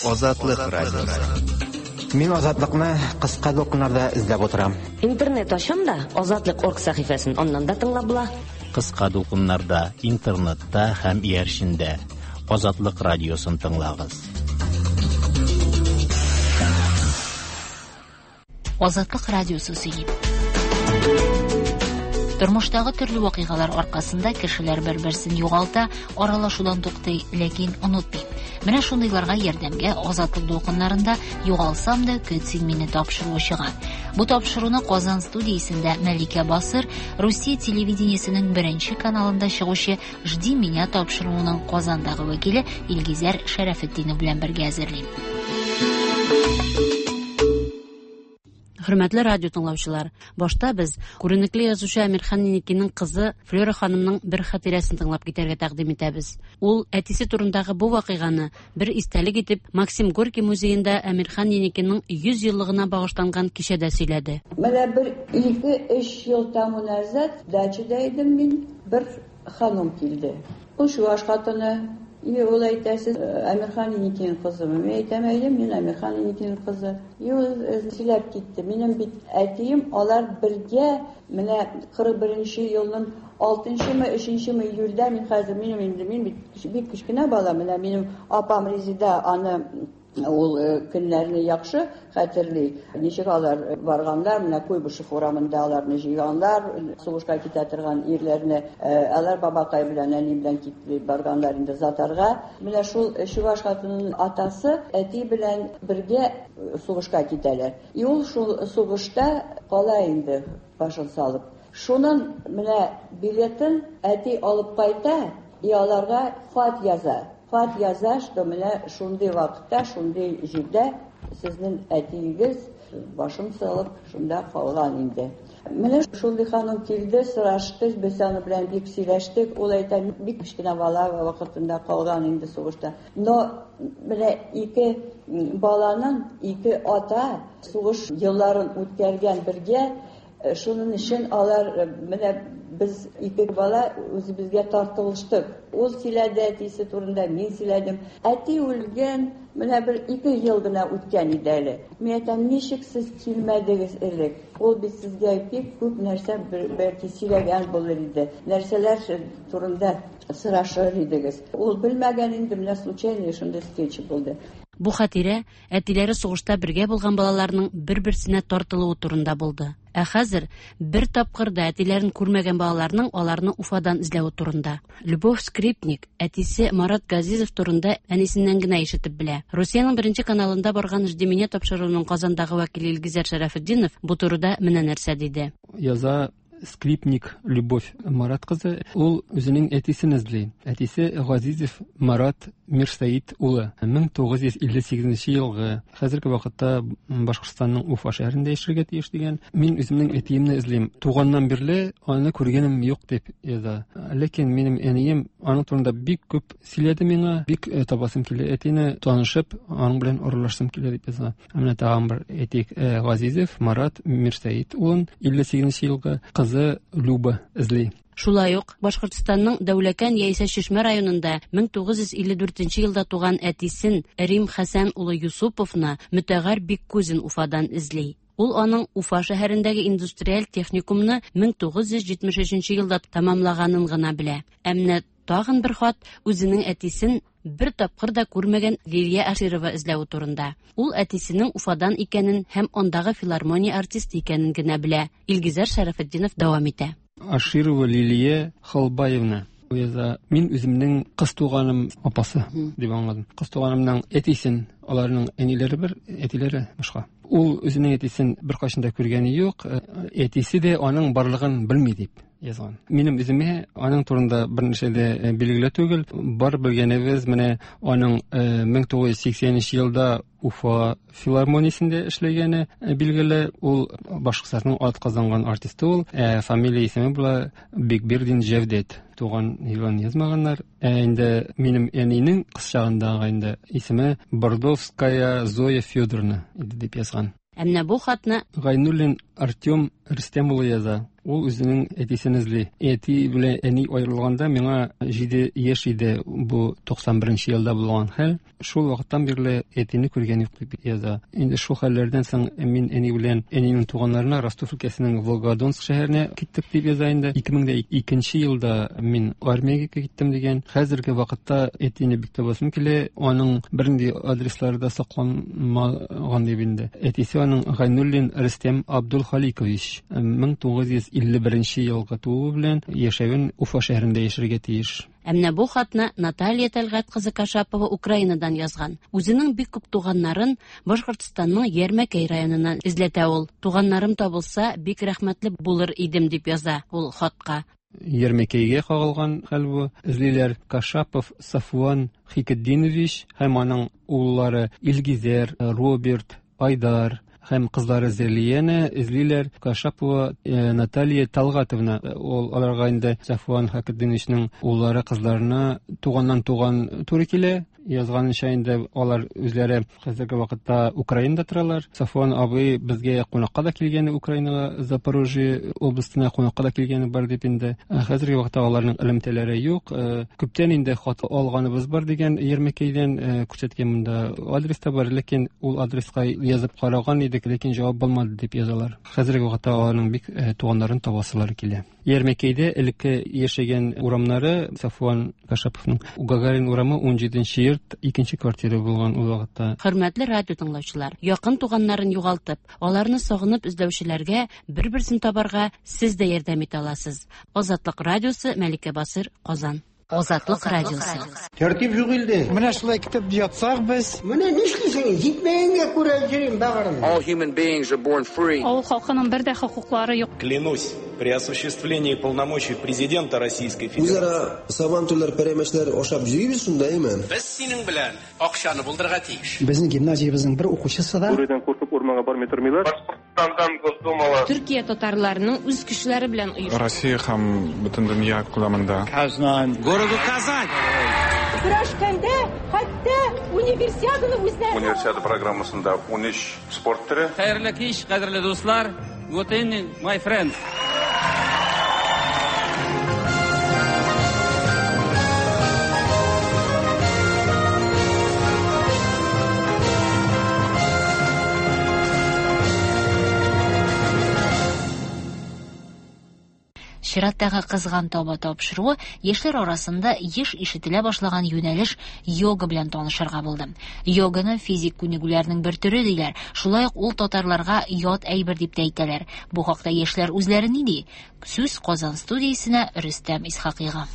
Азатлык радиосы. Мин Азатлыкны кыска дулкыннарда эзләп утырам. Интернет ачам да Азатлык орг сәхифәсен аннан да тыңлап була. Кыска дулкыннарда, интернетта һәм иярчендә Азатлык радиосын тыңлагыз. Азатлык радиосы сөйли. Тормыштагы төрле вакыйгалар аркасында кешеләр бер-берсен югалта, аралашудан туктый, ләкин онытмый. Менә шундыйларга ярдәмгә Азатлык дулкыннарында «Югалсам да көт син мине» тапшыруы чыга. Бу тапшыруны Казан студиясендә Мәликә Басыр, Русия телевидениесенең беренче каналында чыгучы «Жди меня» тапшыруының Казандагы вәкиле Илгизәр Шәрәфетдинов белән бергә әзерли. Хөрмәтле радио тыңлаучылар, башта без күренекле язучы Әмирхан Еникинең кызы Флера ханымның бер хатирәсен тыңлап китәргә тәкъдим итәбез. Ул әтисе турындагы бу вакыйганы бер истәлек итеп Максим Горький музеенда Әмирхан Еникинең йөз еллыгына багышланган кичәдә сөйләде. Менә бер ике-өч ел тому назад дачада идем мин, бер ханым килде. Ул чуаш хатыны. И ул әйтә, сез Әмирхан Еникинең кызымы? Мин әйтәм, әйе, мин Әмирхан Еникинең кызы. И ул сөйләп китте. Минем бит әтием, алар бергә менә кырык беренче елның алтынчымы, өченчеме июльдә, мин хәзер минем инде мин бит бик кечкенә бала, менә минем апам Резида аны ул көннәрне яхшы хәтерли. Ничек алар барганнар, менә Куйбышев урамында аларны җыйганнар, сугышка китә торган ирләрне, алар бабакай белән, әни белән китеп барганнар инде Затарга. Менә шул чуваш хатынының атасы әти белән бергә сугышка китәләр. И ул шул сугышта кала инде башын салып. Шунын менә билетын әти алып кайта, и аларга хат яза. Хат яза, что менә шундый вакытта, шундый җирдә сезнең әтиегез башын салып шунда калган инде. Менә шундый ханым килде, сорашты, без аны белән бик сөйләштек. Ул әйтә, бик кечкенә бала вакытында калган инде сугышта. Но менә ике баланың ике ата сугыш елларын үткәргән бергә, шуның өчен алар менә без ике бала үзебезгә тартылыштык. Ул сөйләде әтисе турында, мин сөйләдем. Әти үлгән, менә бер ике ел гына үткән иде әле. Мин әйтәм, ничек сез килмәдегез элек? Ул бит сезгә бик күп нәрсә бәлки сөйләгән булыр иде. Нәрсәләр турында сорашыр идегез. Ул белмәгән инде, менә случайно шундый встреча булды. Бу хатирә әтиләре сугышта бергә булган балаларның бер-берсенә тартылуы турында булды. Ә хәзер бер тапкыр да әтиләрен күрмәгән балаларның аларны Уфадан эзләве турында. Любовь Скрипник әтисе Марат Газизов турында әнисеннән генә ишетеп белә. Русиянең беренче каналында барган «Жди меня» тапшыруының Казандагы вәкиле Илгизәр Шәрәфетдинов бу турыда менә нәрсә диде. Яза Скрипник Любовь Марат кызы, ул үзенең әтисен эзли. Әтисе Газизов Марат Мирсаид улы. мең тугыз йөз илле сигезенче елгы, хәзерге вакытта Башкортстанның Уфа шәһәрендә яшәргә тиеш дигән. Мин үземнең әтиемне эзлим. Туганнан бирле аны күргәнем юк дип яза. Ләкин минем әнием аның турында бик күп сөйләде миңа, бик табасым килә әтине, танышып, аның белән аралашсым килә дип яза. Менә тагын бер әйтик, Газизов Марат Мирсаид улын илле сигезенче елгы кызы Люба эзли. Шулай ук Башкортстанның Дәүләкән яисә Чишмә районында мең тугыз йөз илле дүртенче елда туган әтисен Рим Хәсән улы Юсуповны Мөтәгәр Биккузин Уфадан эзли. Ул аның Уфа шәһәрендәге индустриаль техникумны мең тугыз йөз җитмеш өченче елда тәмамлаганын гына белә. Ә менә тагын бер хат үзенең әтисен бер тапкыр да күрмәгән Лилия Аширова эзләве турында. Ул әтисенең Уфадан икәнен һәм андагы филармония артисты икәнен генә белә. Илгизәр Шәрәфетдинов дәвам итә. Аширова Лилия Халбаевна яза, мин үземнең кыз туганым апасы дип аңладым. Кыз туганымның әтисен, аларның әниләре бер, әтиләре башка. Ул үзенең әтисен беркайчан да күргәне юк, әтисе дә аның барлыгын белми дип язган. Минем үземә аның турында бернәрсә дә билгеле түгел. Бар белгәнебез менә аның мең тугыз йөз сиксәненче елда Уфа филармониясендә эшләгәне билгеле. Ул Башкортстанның атказанган артисты ул. Ә фамилия исеме була Бекбердин Җәвдәт. Туган елын язмаганнар. Ә инде минем әнинең кыз чагындагы инде исеме Бордовская Зоя Федоровна иде дип язган. Ә менә бу хатны Гайнуллин Артем Рөстәм улы яза. Ул үзенең әтисен эзли. Әти белән әни аерылганда миңа җиде яшь иде, бу туксан беренче елда булган хәл. Шул вакыттан бирле әтине күргән юк дип яза. Инде шул хәлләрдән соң мин әни белән әнинең туганнарына Ростов өлкәсенең Волгодонск шәһәренә киттек дип яза инде. ике мең икенче елда мин армиягә киттем дигән. Хәзерге вакытта әтине бик табасым килә. Аның бернинди адреслары да сакланмаган дип инде. Әтисе аның Гайнуллин Рөстәм Абдулхаликович мең тугыз йөз илле беренче елгы тууы белән яшәвен Уфа шәһәрендә яшәргә тиеш. Ә менә бу хатны Наталья Тәлгать кызы Кашапова Украинадан язган. Үзенең бик күп туганнарын Башкортстанның Ярмәкәй районыннан эзләтә ул. Туганнарым табылса, бик рәхмәтле булыр идем дип яза ул хатка. Ярмәкәйгә кагылган хәл бу. Эзлиләр Кашапов Сафуан Хикетдинович һәм аның уллары Илгизәр, Роберт, Айдар һәм кызлары Зәлияне эзлиләр. Кашапова Наталья Талгатовна, ул аларга инде Сафуан Хакетдиновичның уллары кызларына туганнан туган туры килә. Язганынча инде алар үзләре хәзерге вакытта Украинада торалар. Сафуан абый безгә кунакка да килгән, Украинага, Запорожье областына кунакка да килгәне бар дип инде. Хәзерге вакытта аларның элемтәләре юк. Күптән инде хат алганыбыз бар дигән Ермекейдән күрсәткән монда адрес та бар, ләкин ул адреска язып караган идек, ләкин җавап булмады дип язалар. Хәзерге вакытта аларның бик туганнарын табасылары килә. Ермекейдә элекке яшәгән урамнары Сафуан Кашаповның Гагарин урамы ун җиденче йорт, икенче квартира булган ул вакытта. Хөрмәтле радио тыңлаучылар, якын туганнарын югалтып, аларны сагынып эзләүчеләргә бер-берсен табарга сез дә ярдәм итә аласыз. Азатлык радиосы, Мәликә Басыр, Казан. Азатлык радиосы. Тәртип юк илдә. Менә шулай китеп ятсак без. Менә нишлисең? Җитмәгәнгә күрә йөрим багырым. All human beings are born free. Авыл халкының бер дә хокуклары юк. Клянусь, при осуществлении полномочий президента Российской Федерации. Үзара сабантуйлар, пәрәмәчләр ашап йөрибез шунда, әйме? Без синең белән акчаны булдырырга тиеш. Безнең гимназиябезнең бер укучысы да Бүредән куркып урманга бармый тормыйлар. Башкортстандан Госдумала. Төркия татарларының үз кешеләре белән оешты. Россия һәм бөтен дөнья күләмендә. Казан. Городу Казань. Көрәшкәндә хәтта универсиаданы үзләре. Универсиада программасында ун өч спорт төре. Хәерле кич, кадерле дуслар. Good evening, my friends. Чираттагы кызган таба тапшыруы яшьләр арасында еш ишетелә башлаган юнәлеш йога белән танышырга булды. Йоганы физик күнегүләрнең бер төре диләр. Шулай ук ул татарларга ят әйбер дип тә әйтәләр. Бу хакта яшьләр үзләре ни ди? Сүз Казан студиясенә Рөстәм Исхакыйга.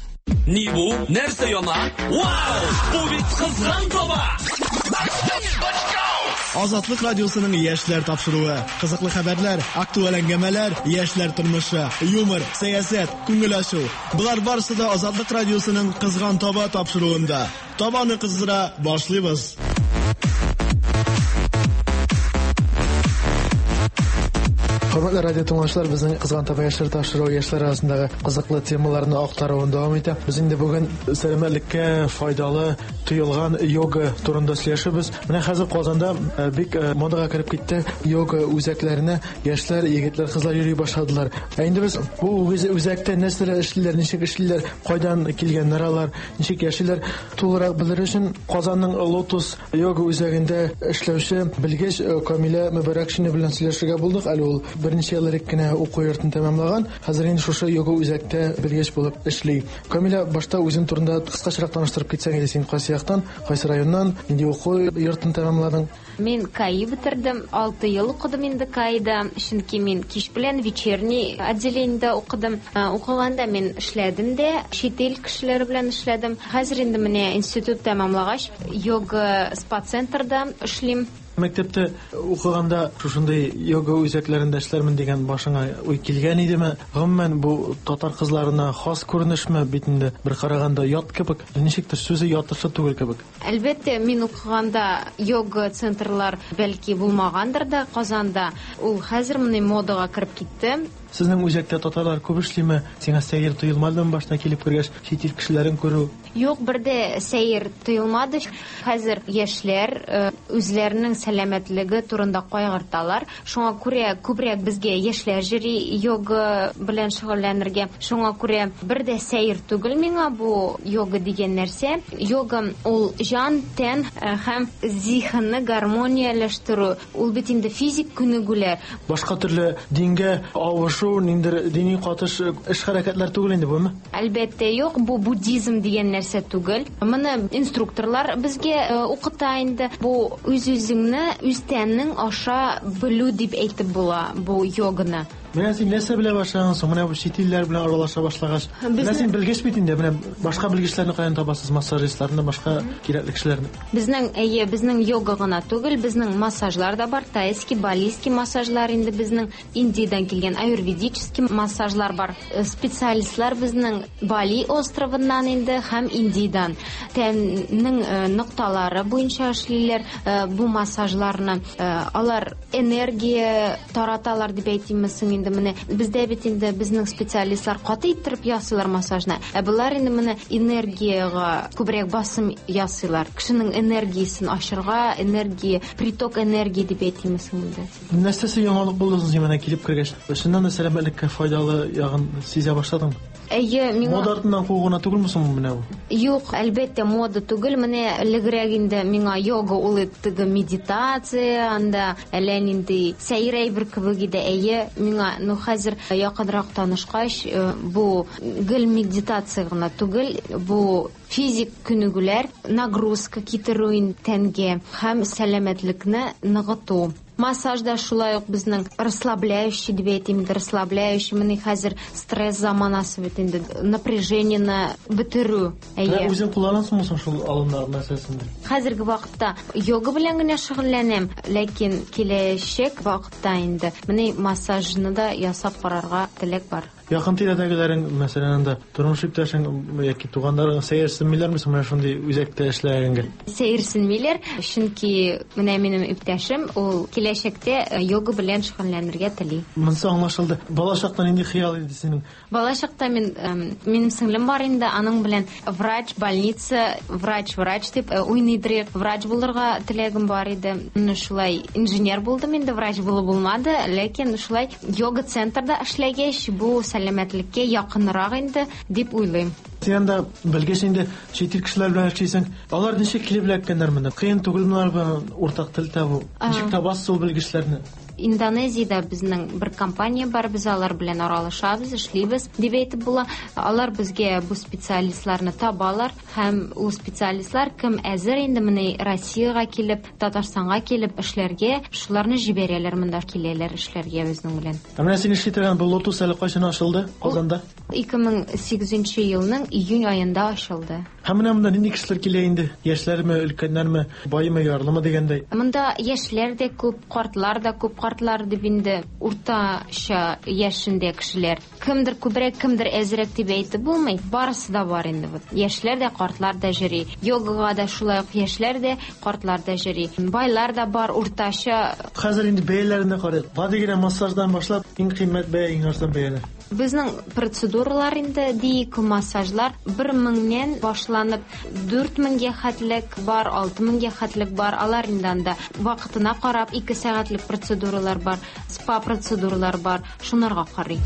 Ни бу? Нәрсә яна? Вау! Бу бит кызган таба! Азатлык радиосының яшьләр тапшыруы. Кызыклы хәбәрләр, актуаль әңгәмәләр, яшьләр тормышы, юмор, сәясәт, күңел ачу. Болар барысы да Азатлык радиосының Кызган таба тапшыруында. Табаны кыздыра башлыйбыз. Хөрмәтле радио тыңлаучылар, безнең Кызган таба яшьләр тапшыруы яшьләр арасындагы кызыклы темаларны актаруын дәвам итә. Без инде бүген сәламәтлеккә файдалы тоелган йога турында сөйләшәбез. Менә хәзер Казанда бик модага кереп китте йога үзәкләренә яшьләр, егетләр, кызлар йөри башладылар. Ә инде без бу үзәктә нәрсәләр эшлиләр, ничек эшлиләр, кайдан килгәннәр алар, ничек яшиләр, тулырак белер өчен Казанның Лотос йога үзәгендә эшләүче белгеч Камилә Мөбәрәкшина белән сөйләшергә булдык. Әле ул берничә ел элек кенә уку йортын тәмамлаган, хәзер инде шушы йога үзәктә белгеч булып эшли. Камилә, башта үзең турында кыскачарак таныштырып китсәң иде, син кайсы яктан, кайсы районнан, нинди уку йортын тәмамладың? Мин КАИ бетердем, алты ел укыдым инде КАИда, чөнки мин кич белән вечерний отделениедә укыдым. Укыганда мин эшләдем дә, чит ил кешеләре белән эшләдем. Хәзер инде менә институт тәмамлагач, йога спа-центрда эшлим. Мәктәптә укыганда шушындый йога үзәкләрендә эшләрмен дигән башыңа уй килгән идеме? Гомумән, бу татар кызларына хас күренешме? Бит инде бер караганда ят кебек, ничектер сүзе ятышлы түгел кебек. Әлбәттә, мин укыганда йога центрлар бәлки булмагандыр да Казанда. Ул хәзер менә модага кереп китте. Сезнең үзәктә татарлар күп эшлиме? Сиңа сәер тоелмадымы башта килеп кергәч, чит ил кешеләрен күрү? Юк, бер дә сәер тоелмады. Хәзер яшьләр үзләренең сәламәтлеге турында кайгырталар. Шуңа күрә күбрәк безгә яшьләр йөри йога белән шөгыльләнергә. Шуңа күрә бер дә сәер түгел миңа бу йога дигән нәрсә. Йога ул җан, тән һәм зиһенне гармонияләштерү. Ул бит инде физик күнегүләр. Башка төрле дингә авышу, ниндер дини катыш эш хәрәкәтләр түгел инде бумы? Әлбәттә юк, бу буддизм дигән нәрсә түгел. Моны инструкторлар безгә укыта инде. Бу үз-үзеңне, үз тәнең аша белү дип әйтеп була бу йоганы. Менә син нәрсә белә башлаган соң? Менә бу чит илләр белән аралаша башлагач. Менә син белгеч бит инде, менә башка белгечләрне каян табасыз, массажистларны, башка кирәкле кешеләрне? Безнең, әйе, безнең йога гына түгел, безнең массажлар да бар, тайский, балийский массажлар инде безнең Индиядән килгән аюрведический массажлар бар. Специалистлар безнең Бали островыннан инде һәм Индиядән. Тәннең нокталары буенча эшлиләр бу массажларны. Алар энергия тараталар дип әйтимме соң инде менә. Бездә бит инде безнең специалистлар каты иттереп ясыйлар массажны. Ә болар инде менә энергиягә күбрәк басым ясыйлар. Кешенең энергиясен ашырга, энергия, приток энергии дип әйтимме соң инде. Нәрсәсе яңалык булды соң менә килеп кергәч? Чыннан да сәламәтлеккә файдалы ягын сизә башладыңмы? Әйе, миңа мода артыннан куу гына түгелме соң менә бу? Юк, әлбәттә, мода түгел. Менә элегрәк инде миңа йога ул теге медитация, анда әллә нинди сәер әйбер кебек иде. Әйе, миңа, ну хәзер якынрак танышкач, бу гел медитация гына түгел, бу физик күнегүләр, нагрузка китерү тәнгә һәм сәламәтлекне ныгыту. Массаж да шулай ук безнең расслабляющий дип әйтим, расслабляющий. Менә хәзер стресс заманасы бит инде, напряжениене бетерү. Әйе. Үзең кулланасыңмы соң шул алымнар нәрсәсен? Хәзерге вакытта йога белән генә шөгыльләнәм, ләкин киләчәк вакытта инде менә массажны да ясап карарга теләк бар. Якын тирәдәгеләрең, мәсәлән, анда тормыш иптәшең яки туганнарың сәерсенмиләрме соң менә шундый үзәктә эшләгәнгә? Сәерсенмиләр, чөнки менә минем иптәшем ул киләчәктә йога белән шөгыльләнергә тели. Монысы аңлашылды. Бала чакта нинди хыял иде синең? Бала чакта мин минем сеңлем бар инде, аның белән врач, больница, врач, врач дип уйныйдыр, врач булырга теләгем бар иде. Менә шулай инженер булдым инде, врач булып булмады, ләкин шулай йога центрда эшләгәч, бу сәламәтлеккә якынрак инде дип уйлыйм. Син анда белгеч инде, чит ил кешеләр белән эшлисең. Алар ничек килеп эләккәннәр монда? Кыен түгелме алар белән уртак тел табу? Ничек табасыз ул белгечләрне? Индонезиядә безнең бер компания бар, без алар белән аралашабыз, эшлибез дип әйтеп була. Алар безгә бу специалистларны табалар һәм ул специалистлар кем әзер инде менә Россиягә килеп, Татарстанга килеп эшләргә, шуларны җибәрәләр, монда киләләр эшләргә безнең белән. Ә менә син эшли торган бу Лотус әле кайчан ачылды Казанда? ике мең сигезенче елның июнь аенда ачылды. Һәм менә монда нинди кешеләр килә инде? Яшьләрме, өлкәннәрме, баймы, ярлымы дигәндәй? Монда яшьләр дә күп, картлар да күп. Картлар дип инде уртача яшендә кешеләр. Кемдер күбрәк, кемдер әзрәк дип әйтеп булмый. Барысы да бар инде. Яшьләр дә, картлар да йөри. Йогага да шулай ук яшьләр дә, картлар да йөри. Байлар да бар, уртача. Хәзер инде бәяләренә карыйк. Гади генә массаждан башлап иң кыйммәт бәя, иң арзан бәяләр. Безнең процедуралар инде диик массажлар бер меңнән башланып дүрт меңгә хәтлек бар, алты меңгә хәтлек бар. Алар инде анда вакытына карап ике сәгатьлек процедуралар бар, спа процедуралар бар. Шунарга карый.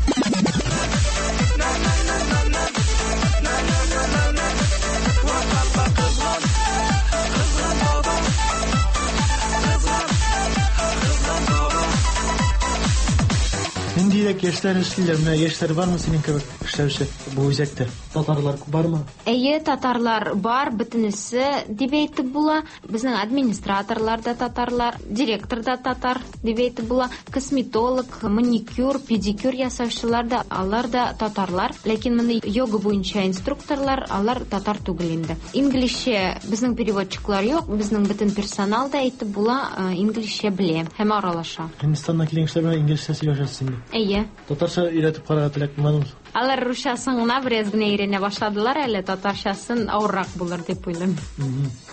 Ниндирәк яшьләр эшлиләр? Менә яшьләр бармы синең кебек эшләүче бу үзәктә? Татарлар бармы? Әйе, татарлар бар, бөтенесе дип әйтеп була. Безнең администраторлар да татарлар, директор да татар дип әйтеп була. Косметолог, маникюр, педикюр ясаучылар да, алар да татарлар. Ләкин моны йога буенча инструкторлар, алар татар түгел инде. Инглизчә безнең переводчиклар юк, безнең бөтен персонал да әйтеп була, инглизчә белә һәм аралаша. Һиндстаннан килгән кешеләр белән инглизчә сөйләшәсез инде. Әйе. Татарча өйрәтеп карарга теләк булмадымы? Алар русчасын гына бераз генә өйрәнә башладылар әле, татарчасын авыррак булыр дип уйлыйм.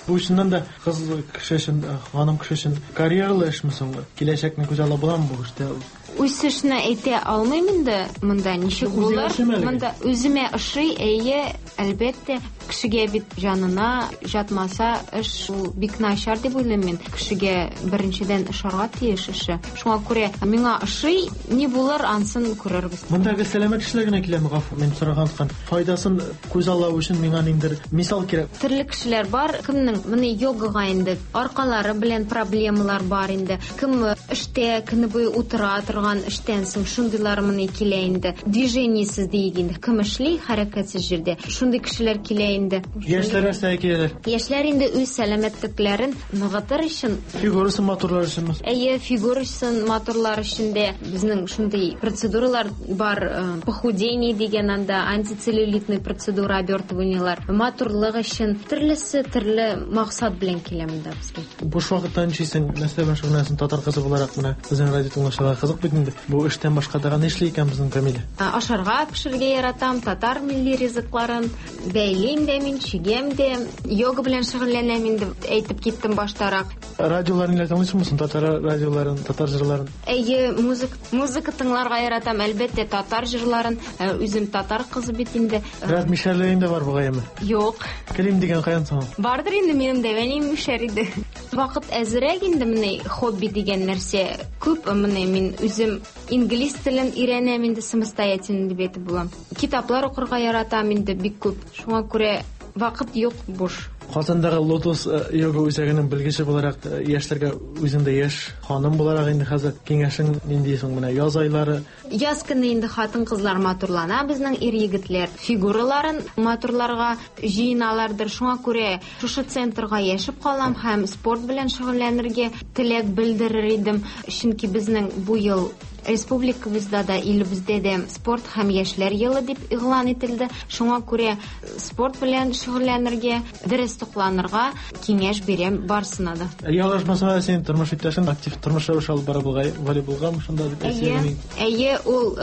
Бу чыннан да кыз кеше өчен, ханым кеше өчен карьералы эшме соң? Киләчәкне күз алда буламы бу эштә? Үсешне әйтә алмыйм инде, монда ничек булыр? Монда үземә ошый, әйе, әлбәттә, кешегә бит җанына жатмаса, эш ул бик начар дип уйлыйм мин. Кешегә беренчедән ошарга тиеш эше. Шуңа күрә миңа ошый, ни булыр, ансын күрербез. Мондагы сәламәт кешеләр генә киләме, гафу, мин сораган ткан. Файдасын күз аллау өчен миңа ниндер мисал кирәк. Төрле кешеләр бар, кемнең моны йогага инде аркалары белән проблемалар бар инде. Кем эштә көне буе утыра торган торган эштән соң шундыйлар моны килә инде. Движениесез диек инде. Кем эшли хәрәкәтсез җирдә. Шундый кешеләр килә инде. Яшьләр нәрсәгә киләләр? Яшьләр инде үз сәламәтлекләрен ныгытыр өчен, фигурасын матурлар өчен. Әйе, фигурасын матурлар өчен дә безнең шундый процедуралар бар, похудение дигән анда антицеллюлитный процедура, обертываниелар. Матурлык өчен төрлесе төрле максат белән килә монда безгә. Буш вакытта нишлисең? Нәрсә белән шөгыльләнәсең? Татар кызы буларак менә безнең радио тыңлаучыларга кызык бит инде. Бу эштән башка тагын нишли икән безнең Камилә? Ашарга пешерергә яратам, татар милли ризыкларын бәйлим дә мин, чигәм дә, йога белән шөгыльләнәм инде, әйтеп киттем баштарак. Радиоларын ниләр тыңлыйсыңмы соң? Татар радиоларын, татар җырларын? Әйе, музыка, музыка тыңларга яратам, әлбәттә, татар җырларын. Үзем татар кызы бит инде. Бераз мишәрлегең дә бар бугай әмма? Юк. Килим дигән каян соң? Бардыр инде минем дә, әнием мишәр иде. Вакыт әзрәк инде менә хобби дигән нәрсә күп. Менә мин үзем инглиз телен өйрәнәм инде самостоятельно дип әйтеп булам. Китаплар укырга яратам инде бик күп. Шуңа күрә вакыт юк буш. Казандагы Лотос йога үзәгенең белгече буларак яшьләргә үзең дә яшь ханым буларак инде хәзер киңәшең нинди соң менә яз айлары? Яз көне инде хатын-кызлар матурлана, безнең ир-егетләр фигураларын матурларга җыеналардыр. Шуңа күрә шушы центрга яшәп калам һәм спорт белән шөгыльләнергә теләк белдерер идем. Чөнки безнең бу ел республикабызда да, илебездә дә спорт һәм яшьләр елы дип игълан ителде. Шуңа күрә спорт белән шөгыльләнергә, дөрес тукланырга киңәш бирәм барсына да. Ялгышмасам, син тормыш иптәшең актив тормыш рәвеше алып бара бугай, волейболга шунда дип әйтсәң. Әйе, ул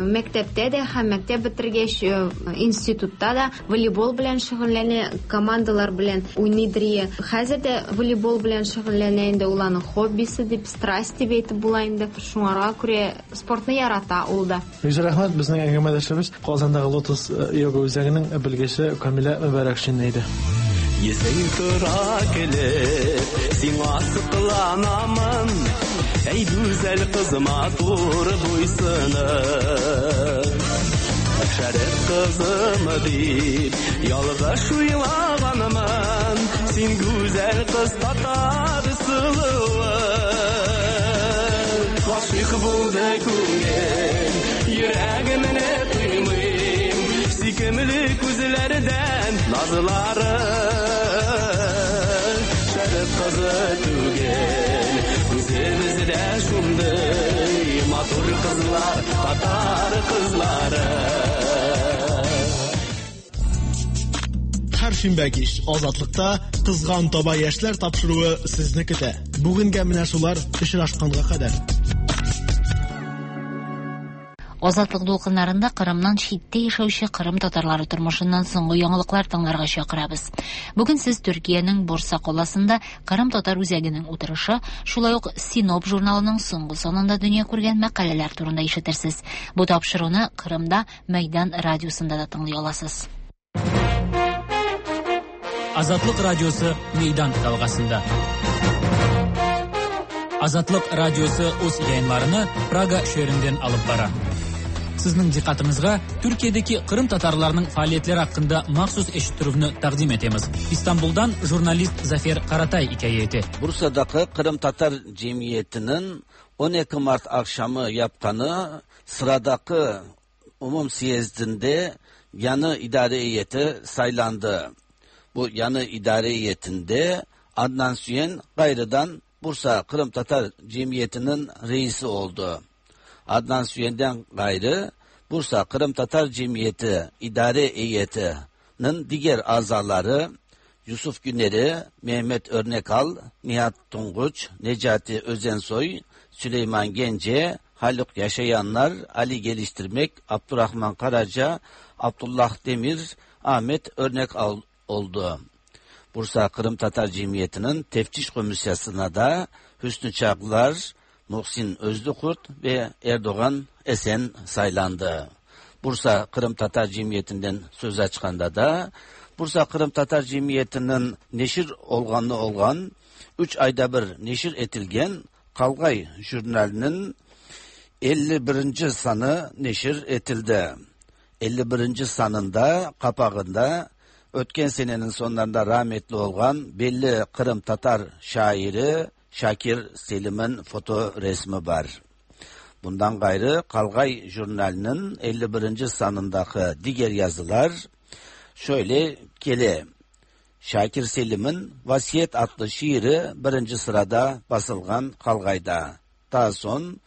мәктәптә дә һәм мәктәп бетергәч институтта да волейбол белән шөгыльләнә, командалар белән уйныйдыр. Хәзер дә волейбол белән шөгыльләнә инде, ул аның хоббисы дип, страсть дип әйтеп була инде. Шуңарга күрә спортны ярата ул да. Бик рәхмәт, безнең әңгәмәдәшебез Казандагы Лотос йога үзәгенең белгече Камилә Мөбарәкшина иде. Йөзең тора килеп, сиңа сокланамын, әй гүзәл кыз матур буйсыны. Шәрык кызым дип ялгыш уйлаганмын, син гүзәл кыз татар сылуы. Гашыйк булды күңел, йөрәгемне тоймыйм, сөйкемле күзләрдән назлары. Шәрык кызы түгел, үзебездә шундый матур кызлар, татар кызлары. Һәр шимбә кич Азатлыкта Кызган таба яшьләр тапшыруы сезне көтә. Бүгенгә менә шулар, очрашканга кадәр. Азатлык дулкыннарында Кырымнан читтә яшәүче Кырым татарлары тормышыннан соңгы яңалыклар тыңларга чакырабыз. Бүген сез Төркиянең Бурса каласында Кырым татар үзәгенең утырышы, шулай ук Синоп журналының соңгы санында дөнья күргән мәкаләләр турында ишетерсез. Бу тапшыруны Кырымда Мәйдан радиосында да тыңлый аласыз. Азатлык радиосы Meydan dalgasında. Azatlık Radyosu öz yayınlarını Praga şehrinden alıp bara. Sizning diqqətinizə Türkiye'deki Kırım Tatarlarının faaliyetleri hakkında mahsus eşittirüvni taqdim etemiz. İstanbul'dan jurnalist Zafer Karatay hikaye ete. Bursa'daki Kırım Tatar Cemiyeti'nin on iki Mart akşamı yapqanı sıradaki umum siyezdinde yanı idare heyeti saylandı. Bu yanı idare heyetinde Adnan Süyen gayrıdan Bursa Kırım Tatar Cemiyeti'nin reisi oldu. Adnan Süyen'den gayrı Bursa Kırım Tatar Cemiyeti İdare Heyeti'nin diğer azaları Yusuf Güner'i, Mehmet Örnekal, Nihat Tunguç, Necati Özensoy, Süleyman Gence, Haluk Yaşayanlar, Ali Geliştirmek, Abdurrahman Karaca, Abdullah Demir, Ahmet Örnekal oldu. Bursa Kırım Tatar Cemiyeti'nin teftiş komisyasına da Hüsnü Çaklar, Muhsin Özlükurt ve Erdoğan Esen saylandı. Bursa Kırım Tatar Cemiyeti'nden söz açkanda da Bursa Kırım Tatar Cemiyeti'nin neşir olganı olgan üç ayda bir neşir etilgen Kalgay jurnalinin elli birinci sanı neşir etildi. elli birinci sanında kapağında ötken senenin sonlarında rahmetli olgan belli Kırım Tatar şairi Şakir Selim'in foto resmi var. Bundan gayrı Kalgay Jurnali'nin elli birinci sanındaki diğer yazılar şöyle gele. Şakir Selim'in Vasiyet adlı şiiri birinci sırada basılgan Kalgay'da. Daha son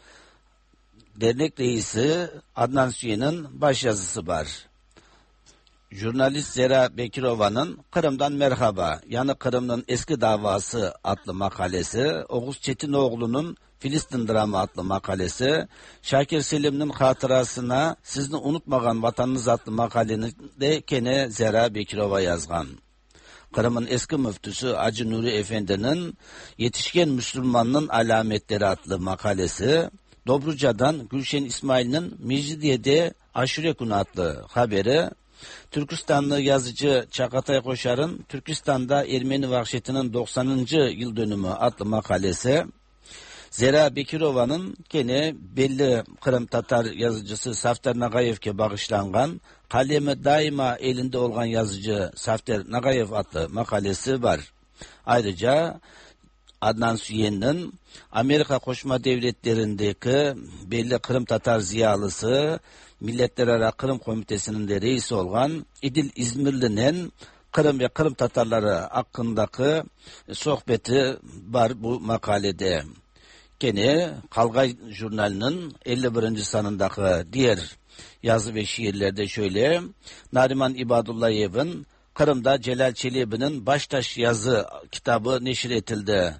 dernek reisi Adnan Süyen'in başyazısı var. Jurnalist Zera Bekirova'nın Kırım'dan Merhaba, yani Kırım'ın eski davası adlı makalesi, Oğuz Çetinoğlu'nun Filistin Dramı adlı makalesi, Şakir Selim'in hatırasına Sizni Unutmagan Vatanınız adlı makaleni de kene Zera Bekirova yazgan. Kırım'ın eski müftüsü Hacı Nuri Efendi'nin Yetişken Müslümanın Alametleri adlı makalesi, Dobruca'dan Gülşen İsmail'in Mecidiye'de Aşure Günü adlı haberi, Türkistanlı yazıcı Çakatay Koşar'ın Türkistan'da Ermeni Vahşeti'nin doksanıncı yıl dönümü adlı makalesi, Zera Bekirova'nın gene belli Kırım Tatar yazıcısı Safter Nagayev'e bağışlangan kalemi daima elinde olan yazıcı Safter Nagayev adlı makalesi var. Ayrıca Adnan Süyen'in Amerika Qoşma Devletleri'ndeki belli Kırım Tatar ziyalısı, Milletlerara Kırım Komitesi'nin de reisi olan İdil İzmirli'nin Kırım ve Kırım Tatarları hakkındaki sohbeti var bu makalede. Gene Kalgay Jurnali'nin elli birinci sanındaki diğer yazı ve şiirlerde şöyle: Nariman İbadullayev'in Kırım'da Celal Çelebi'nin Baştaş yazı kitabı neşir etildi.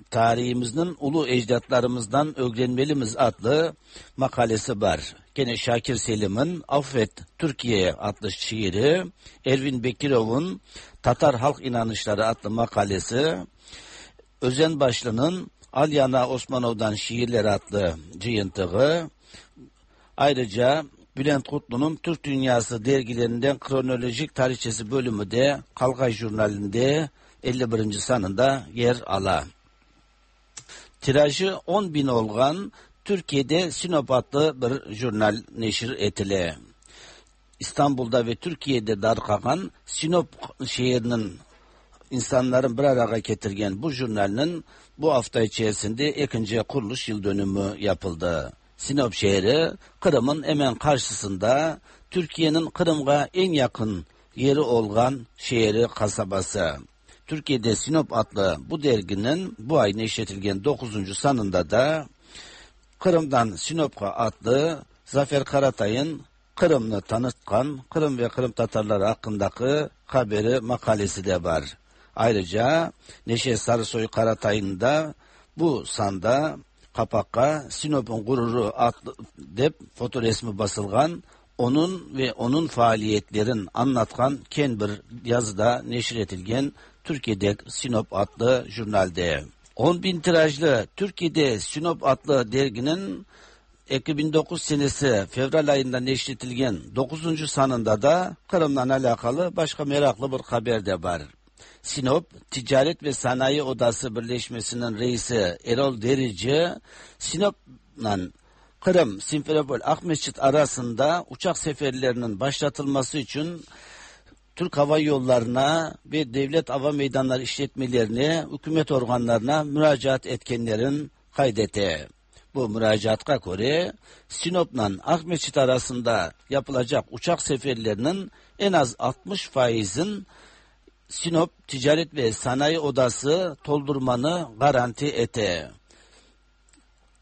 Tarihimizin ulu ecdatlarımızdan öğrenmelimiz adlı makalesi var. Gene Şakir Selim'in Affet Türkiye adlı şiiri, Ervin Bekirov'un Tatar Halk İnanışları adlı makalesi, Özen Başlı'nın Alyana Osmanov'dan Şiirler adlı cıyıntığı, ayrıca Bülent Kutlu'nun Türk Dünyası dergilerinden kronolojik tarihçesi bölümü de Kalgay Jurnali'nde elli birinci sanında yer ala. Tirajı on bin olan Türkiye'de Sinop adlı bir jurnal neşir etile. İstanbul'da ve Türkiye'de darqagan Sinop şehrinin insanların bir araya getirgen bu jurnalinin bu hafta içerisinde ikinci kuruluş yıl dönümü yapıldı. Sinop şehri Kırım'ın hemen karşısında, Türkiye'nin Kırım'a en yakın yeri olan şehri, kasabası. Türkiye'de Sinop adlı bu derginin bu ay neşretilgen dokuzuncu sanında da Kırım'dan Sinop'a adlı Zafer Karatay'ın Kırım'ı tanıtkan Kırım ve Kırım Tatarları hakkındaki haberi, makalesi de var. Ayrıca Neşe Sarısoy Karatay'ın da bu sanda kapakka Sinop'un gururu adlı dep fotoresmi basılgan, onun ve onun faaliyetlerin anlatkan ken bir yazıda neşretilgen Türkiye'de Sinop adlı jurnalde. on bin tirajlı Türkiye'de Sinop adlı derginin iki bin dokuz senesi Fevral ayında neşretilgen dokuzuncu sanında da Kırım'la alakalı başka meraklı bir haber de var. Sinop Ticaret ve Sanayi Odası Birleşmesi'nin reisi Erol Derici, Sinop'la Kırım, Simferopol, Akmescit arasında uçak seferlerinin başlatılması için Türk Hava Yolları'na ve devlet hava meydanları işletmelerine, hükümet organlarına müracaat etkenlerin kaydetti. Bu müracaata göre Sinop'la Akmescit arasında yapılacak uçak seferlerinin en az altmış faizin Sinop Ticaret ve Sanayi Odası doldurmanı garanti ete.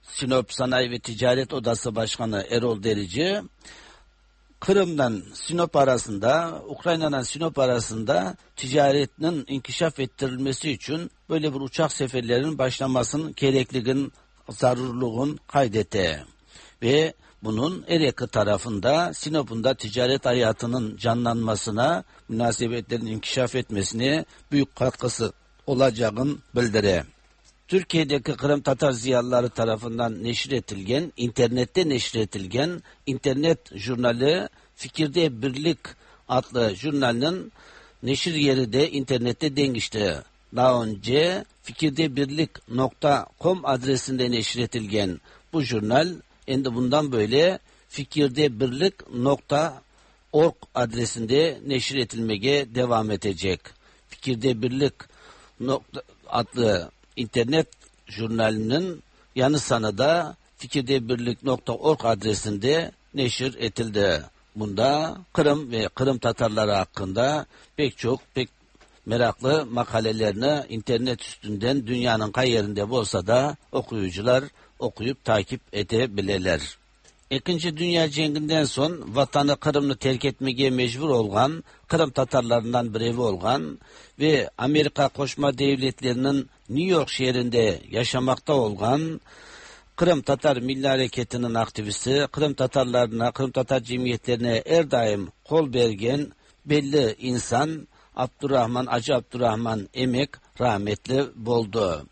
Sinop Sanayi ve Ticaret Odası Başkanı Erol Derici, Kırım'dan Sinop arasında, Ukrayna'dan Sinop arasında ticaretinin inkişaf ettirilmesi için böyle bir uçak seferlerinin başlamasının gerekliliğin, zarurluğun kaydetti. Ve bunun her iki tarafında Sinop'un da ticaret hayatının canlanmasına, münasebetlerin inkişaf etmesine büyük katkısı olacağını bildire. Türkiye'deki Kırım Tatar ziyalıları tarafından neşretilgen, internette neşretilgen internet jurnali Fikirde Birlik adlı jurnalinin neşir yeri de internette dengişti. Daha önce fikirdebirlik nokta com adresinde neşretilgen bu jurnal, endi bundan böyle fikirdebirlik nokta org adresinde neşir etilmeye devam edecek. Fikirdebirlik nokta adlı internet jurnalinin yanı sana da fikirdebirlik nokta org adresinde neşir etildi. Bunda Kırım ve Kırım Tatarları hakkında pek çok pek meraklı makalelerini internet üstünden dünyanın kay yerinde olsa da okuyucular okuyup takip edebilirler. İkinci Dünya Cenginden son vatanı Kırım'ı terk etmeye mecbur olgan, Kırım Tatarlarından birevi olgan ve Amerika Qoşma Devletleri'nin New York şehrinde yaşamakta olgan Kırım Tatar Milli Hareketi'nin aktivisti, Kırım Tatarlarına, Kırım Tatar cemiyetlerine her daim kol bergen belli insan Abdurrahman Acı Abdurrahman Emek rahmetli boldu.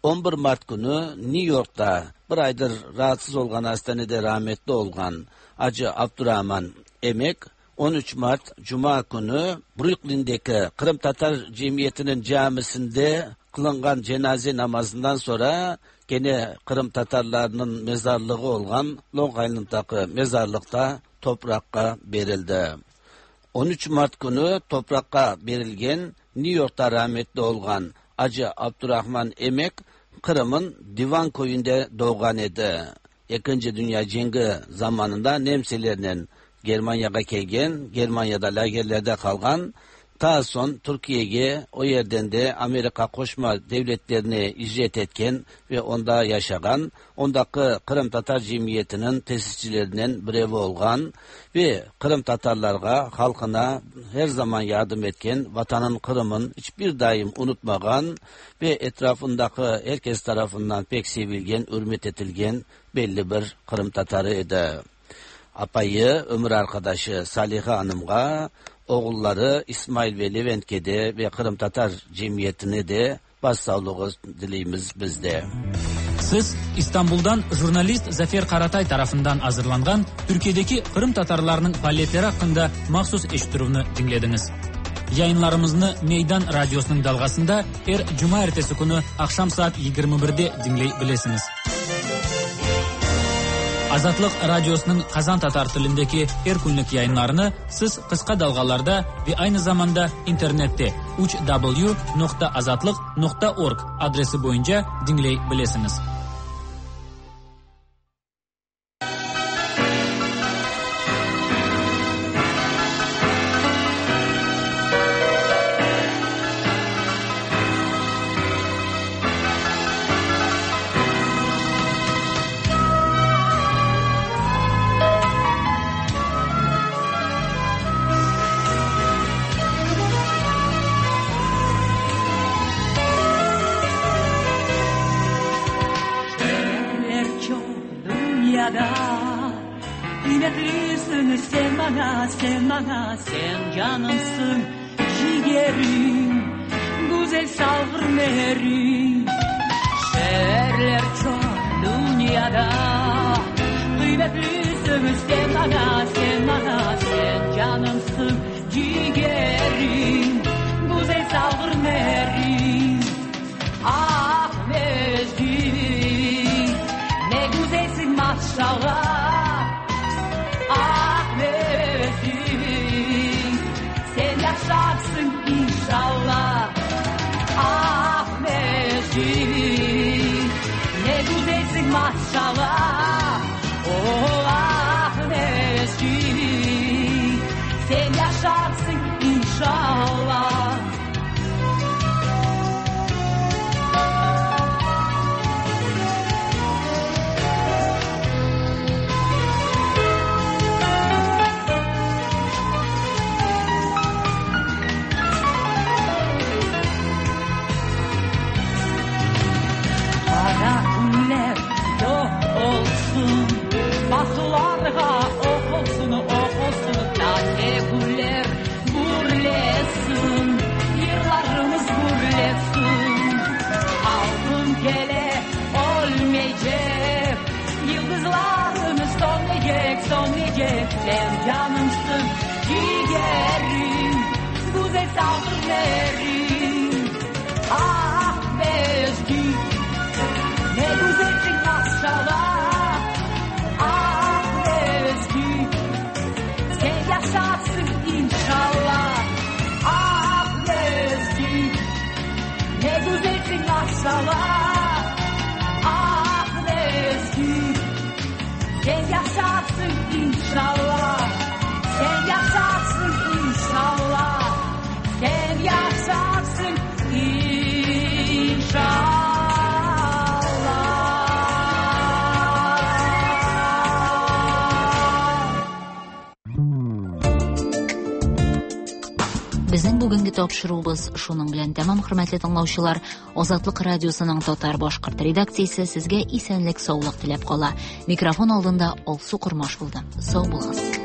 on bir Mart günü New York'ta bir aydır rahatsız olgan hastanede rahmetli olgan Acı Abdurrahman Emek on üç Mart Cuma günü Brooklyn'deki Kırım Tatar Cemiyeti'nin camisinde kılıngan cenaze namazından sonra gene Kırım Tatarlarının mezarlığı olgan Long Island'daki mezarlıkta toprakka berildi. on üç Mart günü toprakka berilgen New York'ta rahmetli olgan Acı Abdurrahman Emek Kırım'ın Divan köyünde doğan idi. İkinci Dünya Cengi zamanında Nemselerle Germanya'ya kelgen, Germanya'da lagerlerde kalgan, ta son Türkiye'ye o yerden de Amerika Qoşma Devletlerine icret etken ve onda yaşagan, ondaki Kırım Tatar Cemiyeti'nin tesisçilerinden birevi olgan ve Kırım Tatarlarga, halkına her zaman yardım etken, vatanın Kırım'ın hiçbir daim unutmagan ve etrafındaki herkes tarafından pek sevilgen, hürmet etilgen belli bir Kırım Tatarı idi. Apayı, ömür arkadaşı Saliha Hanım'a, oğulları İsmail ve Levent'e de ve Kırım Tatar Cemiyeti'ne de başsağlığı dileyimiz bizde. Siz İstanbul'dan jurnalist Zafer Karatay tarafından hazırlangan Türkiye'deki Kırım Tatarlarının faaliyetleri hakkında mahsus eşittirüvni dinlediniz. Yayınlarımızı Meydan Radyosu'nun dalgasında her cuma ertesi günü akşam saat yigirmi birde dinleyebilirsiniz. Azatlıq Radiosu'nun Kazan Tatar tilindeki her günlük yayınlarını siz kısa dalgalarda ve aynı zamanda internette üç w nokta azatlık nokta org adresi boyunca dinleyebilirsiniz. Kıymetlisin sen bana, sen bana, sen canımsın, ciğerim, güzel salgır merim. Şehirler çok dünyada, kıymetlisin sen bana, sen bana, sen canımsın, ciğerim, güzel salgır merim. Ah Mecid, ne güzelsin maşallah. Ah Mecid, sen yaşarsın inşallah. Ah Mecid, ne güzelsin maşallah. Oh ah Mecid, sen yaşarsın inşallah. yaparsın inşallah. Sen yaparsın inşallah. Sen yaparsın inşallah. Безнең бүгенге тапшыруыбыз шуның белән тәмам, хөрмәтле тыңлаучылар. Азатлык радиосының татар башкорт редакциясе сезгә исәнлек, саулык теләп кала. Микрофон алдында Алсу Кормаш булды. Сау булыгыз.